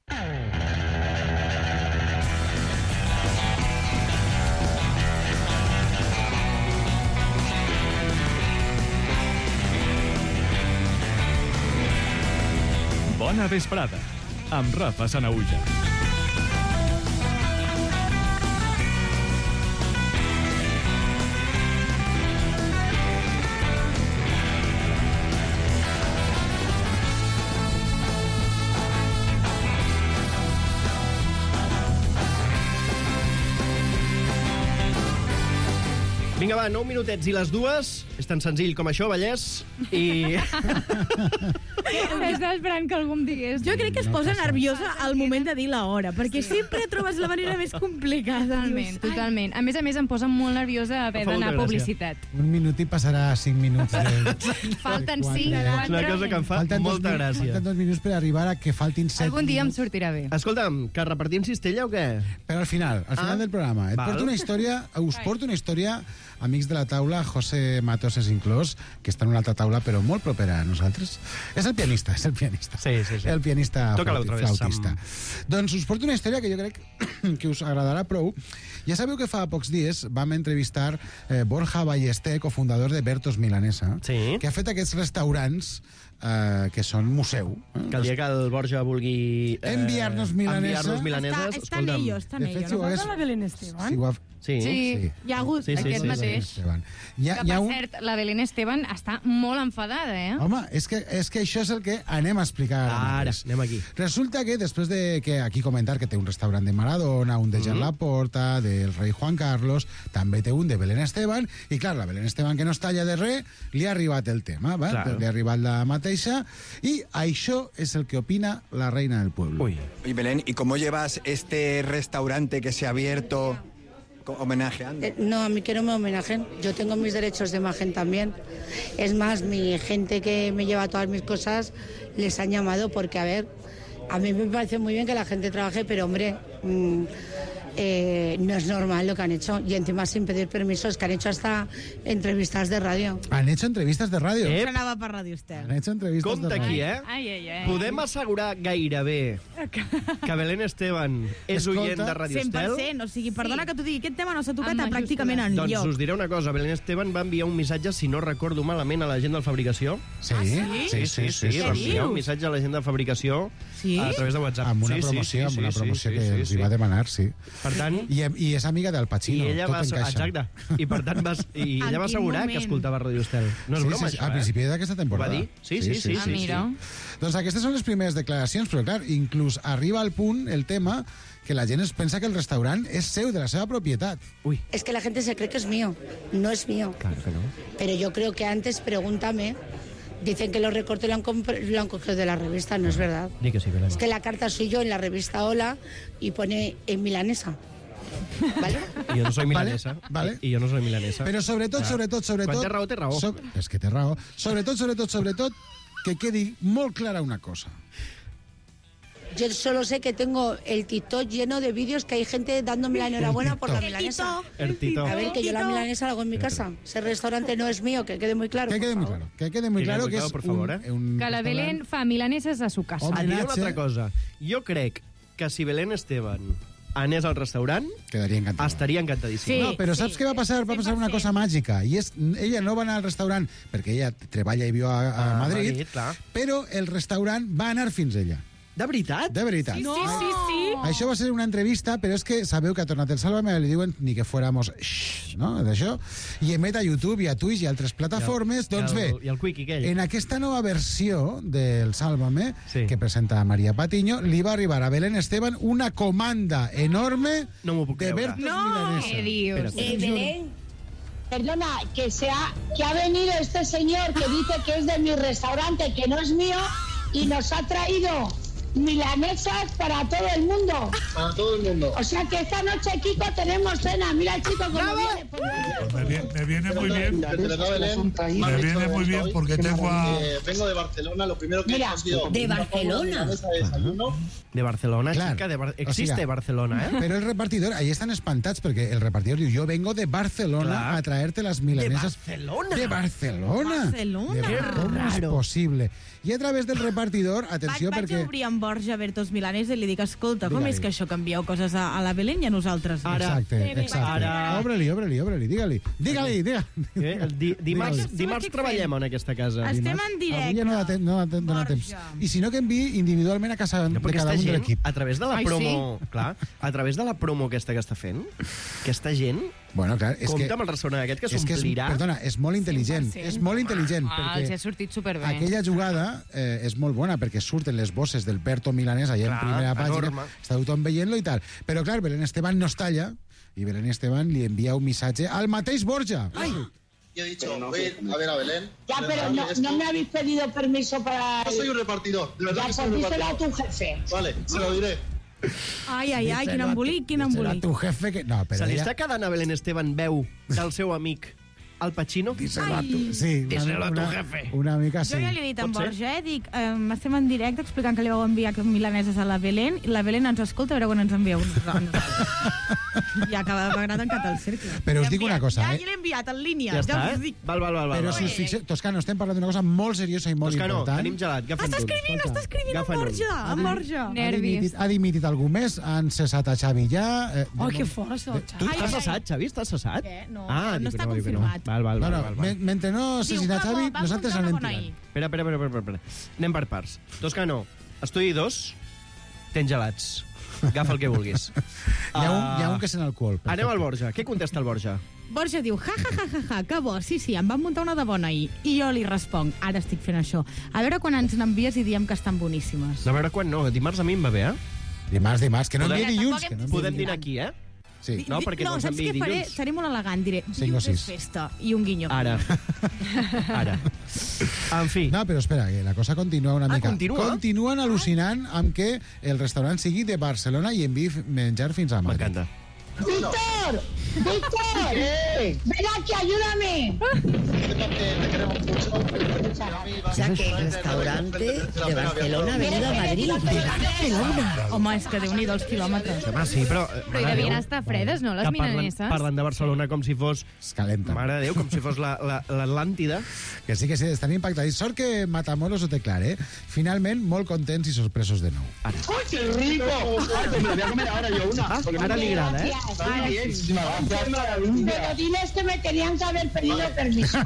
Bona vesprada, amb Rafa Sanaüja. Vinga, va, 9 minutets i les dues. És tan senzill com això, Vallès. I... Estava esperant que algú em digués. Jo crec que es posa nerviosa al moment de dir l'hora, perquè sempre trobes la manera més complicada. Totalment. A més, em posa molt nerviosa haver d'anar a publicitat. Un minut i passarà 5 minuts. Falten 5. És una cosa que em fa molta gràcia. Falten 2 minuts per arribar a que faltin 7 Algun dia em sortirà bé. Escolta'm, que repartim cistella o què? Però al final del programa. Us porto una història, amics de la taula, José Matoses inclòs, que està en una altra taula, però molt propera a nosaltres. És el pianista. Sí. El pianista flautista. Sam. Doncs us porto una història que jo crec que us agradarà prou. Ja sabeu que fa pocs dies vam entrevistar Borja Ballester, cofundador de Bertos Milanesa, que ha fet aquests restaurants que són museu. Que el dia que el Borja vulgui enviar-nos milaneses... Està en ello. No va la Belén Esteban? Sí. Hi ha hagut aquest mateix. Que, per cert, la Belén Esteban està molt enfadada, Home, és que això és el que anem a explicar ara. Anem aquí. Resulta que després de que aquí comentar que té un restaurant de Maradona, un de Jean Laporta, del rei Juan Carlos, també té un de Belén Esteban, i clar, la Belén Esteban, que no es talla de res, li ha arribat el tema, li ha arribat la mateixa, i això és el que opina la reina del pueblo. Oye, Belén, ¿y cómo llevas este restaurante que se ha abierto homenajeando? No, a mí que no me homenajeen. Yo tengo mis derechos de imagen también. Es más, mi gente que me lleva todas mis cosas les han llamado porque, a ver, a mí me parece muy bien que la gente trabaje, pero, hombre, no es normal lo que han hecho. Y encima sin pedir permisos, que han hecho hasta entrevistas de radio. ¿Han hecho entrevistas de radio? Anava per Ràdio Estel. Han hecho entrevistas Compte de radio. aquí, Podem assegurar gairebé que Belén Esteban és oient de Ràdio Estel? 100%, o sigui, perdona que t'ho digui, aquest tema no s'ha tocat pràcticament enlloc. Doncs us diré una cosa, Belén Esteban va enviar un missatge, si no recordo malament, a la gent de fabricació. Sí? Va enviar un missatge a la gent de fabricació a través de WhatsApp. Amb una promoció que els hi va demanar, sí. Per tant... I és amiga del Pacino, i ella tot va, encaixa. exacte. I per tant ella va assegurar que escoltava Ràdio Estel. No és broma, això, a principi d'aquesta temporada. Ho va dir? Sí. Mira. Doncs aquestes són les primeres declaracions, però clar, inclús arriba al punt el tema que la gent es pensa que el restaurant és seu, de la seva propietat. Es que la gente se cree que es mío. No es mío. Claro que no. Pero yo creo que antes, pregúntame, dicen que los recortes lo han cogido de la revista, no es verdad. Di que sí, Belén. Es que la carta soy yo en la revista Hola y pone en milanesa. ¿Vale? I jo no soy milanesa. Vale. I jo no soy milanesa. Però sobretot... Quan té raó, té raó. És que té raó. Sobretot, que quedi molt clara una cosa. Yo solo sé que tengo el TikTok lleno de vídeos que hay gente dándome la enhorabuena por la milanesa. El Tito. A ver, que yo la milanesa la hago en mi casa. Ese restaurante no es mío, que quede muy claro. Que quede muy claro. Que quede muy claro que és por favor, Que la Belén fa milaneses a su casa. Et diré una altra cosa. Jo crec que si Belén Esteban anés al restaurant, estaria encantadíssim. No, però saps què va passar? Va passar una cosa màgica, i és, ella no va anar al restaurant perquè ella treballa i viu a Madrid, però el restaurant va anar fins ella. De veritat? De veritat. Sí, sí. Això va ser una entrevista, però és que sabeu que ha tornat el Sálvame, li diuen ni que fuéramos no? D'això, i emet a YouTube i a Twitch i altres plataformes. Doncs bé, i el Quickie aquell. en aquesta nova versió del Sálvame, que presenta María Patiño, li va arribar a Belén Esteban una comanda enorme de Bertos milanesas. ¿Qué dios? Belén, perdona, que ha venido este señor que dice que es de mi restaurante, que no es mío, y nos ha traído milanesas para todo el mundo. Para todo el mundo. O sea que esta noche, Kiko, tenemos cena. Mira el chico cómo viene. Me viene muy bien. Me viene muy bien porque tengo a... Vengo de Barcelona, lo primero que he conseguido... ¿De Barcelona? De Barcelona, Clar, chica, existe Barcelona, ¿eh? Pero el repartidor, ahí están espantats perquè el repartidor diu, yo vengo de Barcelona a traerte las milanesas. ¿De Barcelona? De Barcelona. ¿Cómo es posible? I a través del repartidor, atenció, Vaig perquè... obrir amb Borja Bertos Milanesa i li dic, escolta, com és que això canvieu coses a la Belén i a nosaltres? Exacte. Obre-li, digue-li. Dimarts treballem en aquesta casa. Estem en directe. Avui ja no dona temps. I si no, que enviï individualment a casa de cada un de l'equip. A través de la promo... Clar, a través de la promo aquesta que està fent, aquesta gent... Bueno, clar, és compta que... amb el restaurant aquest que s'omplirà. Perdona, és molt intel·ligent. És molt intel·ligent. Els ha sortit superbé. Aquella jugada és molt bona perquè surten les bosses del Berto Milanés allà en primera pàgina. Està tothom veient-lo i tal. Però, clar, Belén Esteban no es talla i Belén Esteban li envia un missatge al mateix Borja. Ay. Yo he dicho, voy a ver a Belén. Ya, pero no me habéis pedido permiso para... Yo soy un repartidor. De verdad ya, que soy un díselo repartidor. a tu jefe. Vale, se lo diré. Ai, quin embolic, quin embolic. Tu jefe que... No, però Se li està quedant a Belén Esteban veu del seu amic Al Pacino? Sí, díselo a tu jefe. Una mica sí. Jo ja li he dit en Borja, dic, estem en directe explicant que li vau enviar milaneses a la Belén, i la Belén ens escolta, a veure quan ens envieu. Ja que m'ha tancat el cercle. Però us dic una cosa, Ja l'he enviat en línia. Ja està, eh? Val. Però si us fixeu, Toscano, estem parlant d'una cosa molt seriosa i molt Toscano, important. tenim gelat, agafa'n tu. Està escrivint en Borja. Nervis. Ha dimitit algú més, han cessat a Xavi ja... Oh, que força, Tu estàs cessat, Xavi? Estàs cessat? No, Ah, no dic està que dic que confirmat. Val. Mentre no assassinar Xavi, nosaltres anem tirant. Espera. Anem per parts. Toscano, estudi 2, tens gelats. Agafa el que vulguis. Hi ha un que sent alcohol. Anem al Borja. Què contesta el Borja? Borja diu, ja, que bo, sí, em van muntar una de bona ahir. I jo li responc, ara estic fent això. A veure quan ens n'envies i diem que estan boníssimes. A veure quan no, dimarts a mi em va bé, eh? Dimarts, que no enviï dilluns. Podem dinar aquí, eh? Sí. No, perquè no ens saps què enviï faré? dilluns. Seré molt elegant, diré, 5 o dilluns és 6. festa, i un guinyo. Ara. En fi. No, però espera, que la cosa continua una mica. Continua? Continuen al·lucinant amb que el restaurant sigui de Barcelona i enviï menjar fins a Madrid. M'encanta. ¡Víctor! ¡Ven aquí, ayúdame! O sea que el restaurante de Barcelona ha venido a Madrid. De Barcelona. Home, és que Déu-n'hi-do els quilòmetres. Home, sí, però... Però hi devien estar fredes, no, les milaneses? Parlen de Barcelona com si fos... Es calenta. Mare de Déu, com si fos l'Atlàntida. Que sí, estan impactadits. Sort que Matamoros ho té clar, eh? Finalment, molt contents i sorpresos de nou. Ara. ¡Ay, qué rico! Ay, pues me la voy a comer ahora yo una. Ara li agrada, eh? Pero diles que me tenían que haber pedido permiso.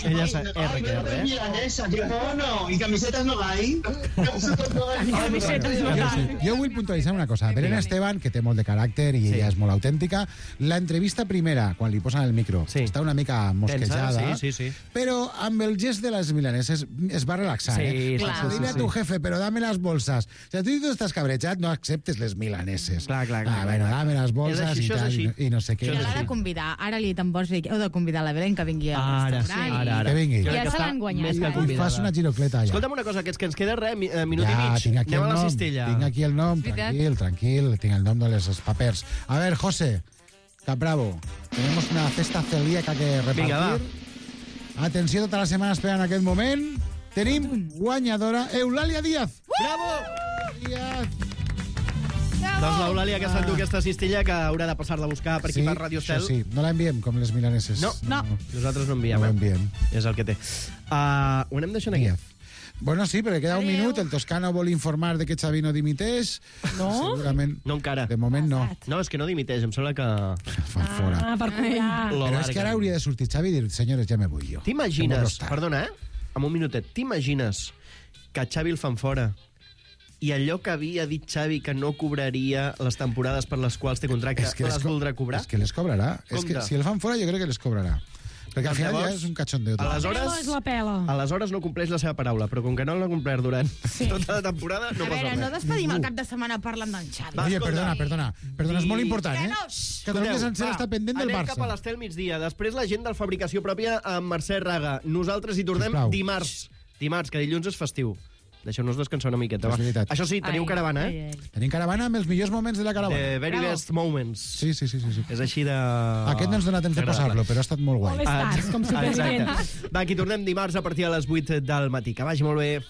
Ella és RQR, eh? Milanesa, qué mono. ¿Y camisetas no hay? Jo vull puntualitzar una cosa. Belén Esteban, que té molt de caràcter i ella és molt autèntica, l'entrevista primera, quan li posen el micro, està una mica mosquejada, sí. però amb el gest de les milaneses es va relaxar. Sí, Dile a tu jefe, però dame las bolsas. O sigui, tu estàs cabrejat, no acceptes les milaneses. Clar. Bueno, dame las bolsas i tal, i no sé què. I l'ha de convidar. Ara li he dit en Borja, heu de convidar la Belén que vingui al restaurant. Ara. Que vingui. Ja se l'han guanyat. I fas una girocleta allà. Escolta'm una cosa, que ens queda res, minut i mig. Tinc aquí Anem el a la nom. cistella. Tinc aquí el nom. Tranquil. Tinc el nom de los papers. A ver, José, Capbravo, tenemos una cesta celíaca que repartir. Vinga, va. Atenció, tota la setmana esperant aquest moment. Tenim guanyadora Eulàlia Díaz. Bravo! Doncs l'Eulàlia que s'endú aquesta cistella que haurà de passar-la a buscar per aquí per Radio Estel. Sí, no la enviem com les milaneses. No. Nosaltres no enviem. No l'enviem. És el que té. Ho anem deixant aquí. Bueno, sí, perquè queda un minut. El Toscano vol informar de que Xavi no dimiteix. No? Segurament. No encara. De moment no. No, és que no dimiteix, em sembla que... Fan fora. Per cobrar. Però és que ara hauria de sortir Xavi i dir, senyores, ja me vull jo. T'imagines, perdona, amb un minutet, t'imagines que Xavi el fan fora i allò que havia dit Xavi que no cobraria les temporades per les quals té contracte, les voldrà cobrar? És que les cobrarà. És que si el fan fora jo crec que les cobrarà. Perquè al final ja és un cachondeo. Aleshores no compleix la seva paraula, però com que no l'ha complert durant tota la temporada, no passa res. No despedim el cap de setmana parlant d'en Xavi. Oye, perdona, és molt important, Catalunya sencera està pendent del Barça. Anem cap a l'Estel migdia. Després la gent del Fabricació Pròpia amb Mercè Raga. Nosaltres hi tornem dimarts, que dilluns és festiu. Deixeu-nos descansar una miqueta. Això sí, teniu caravana, Tenim caravana amb els millors moments de la caravana. The very best moments. Sí. És així de... Aquest no ens dona temps de posar-lo, però ha estat molt guai. All Stars, com supervivents. Va, aquí tornem dimarts a partir de les 8 del matí. Que vagi molt bé.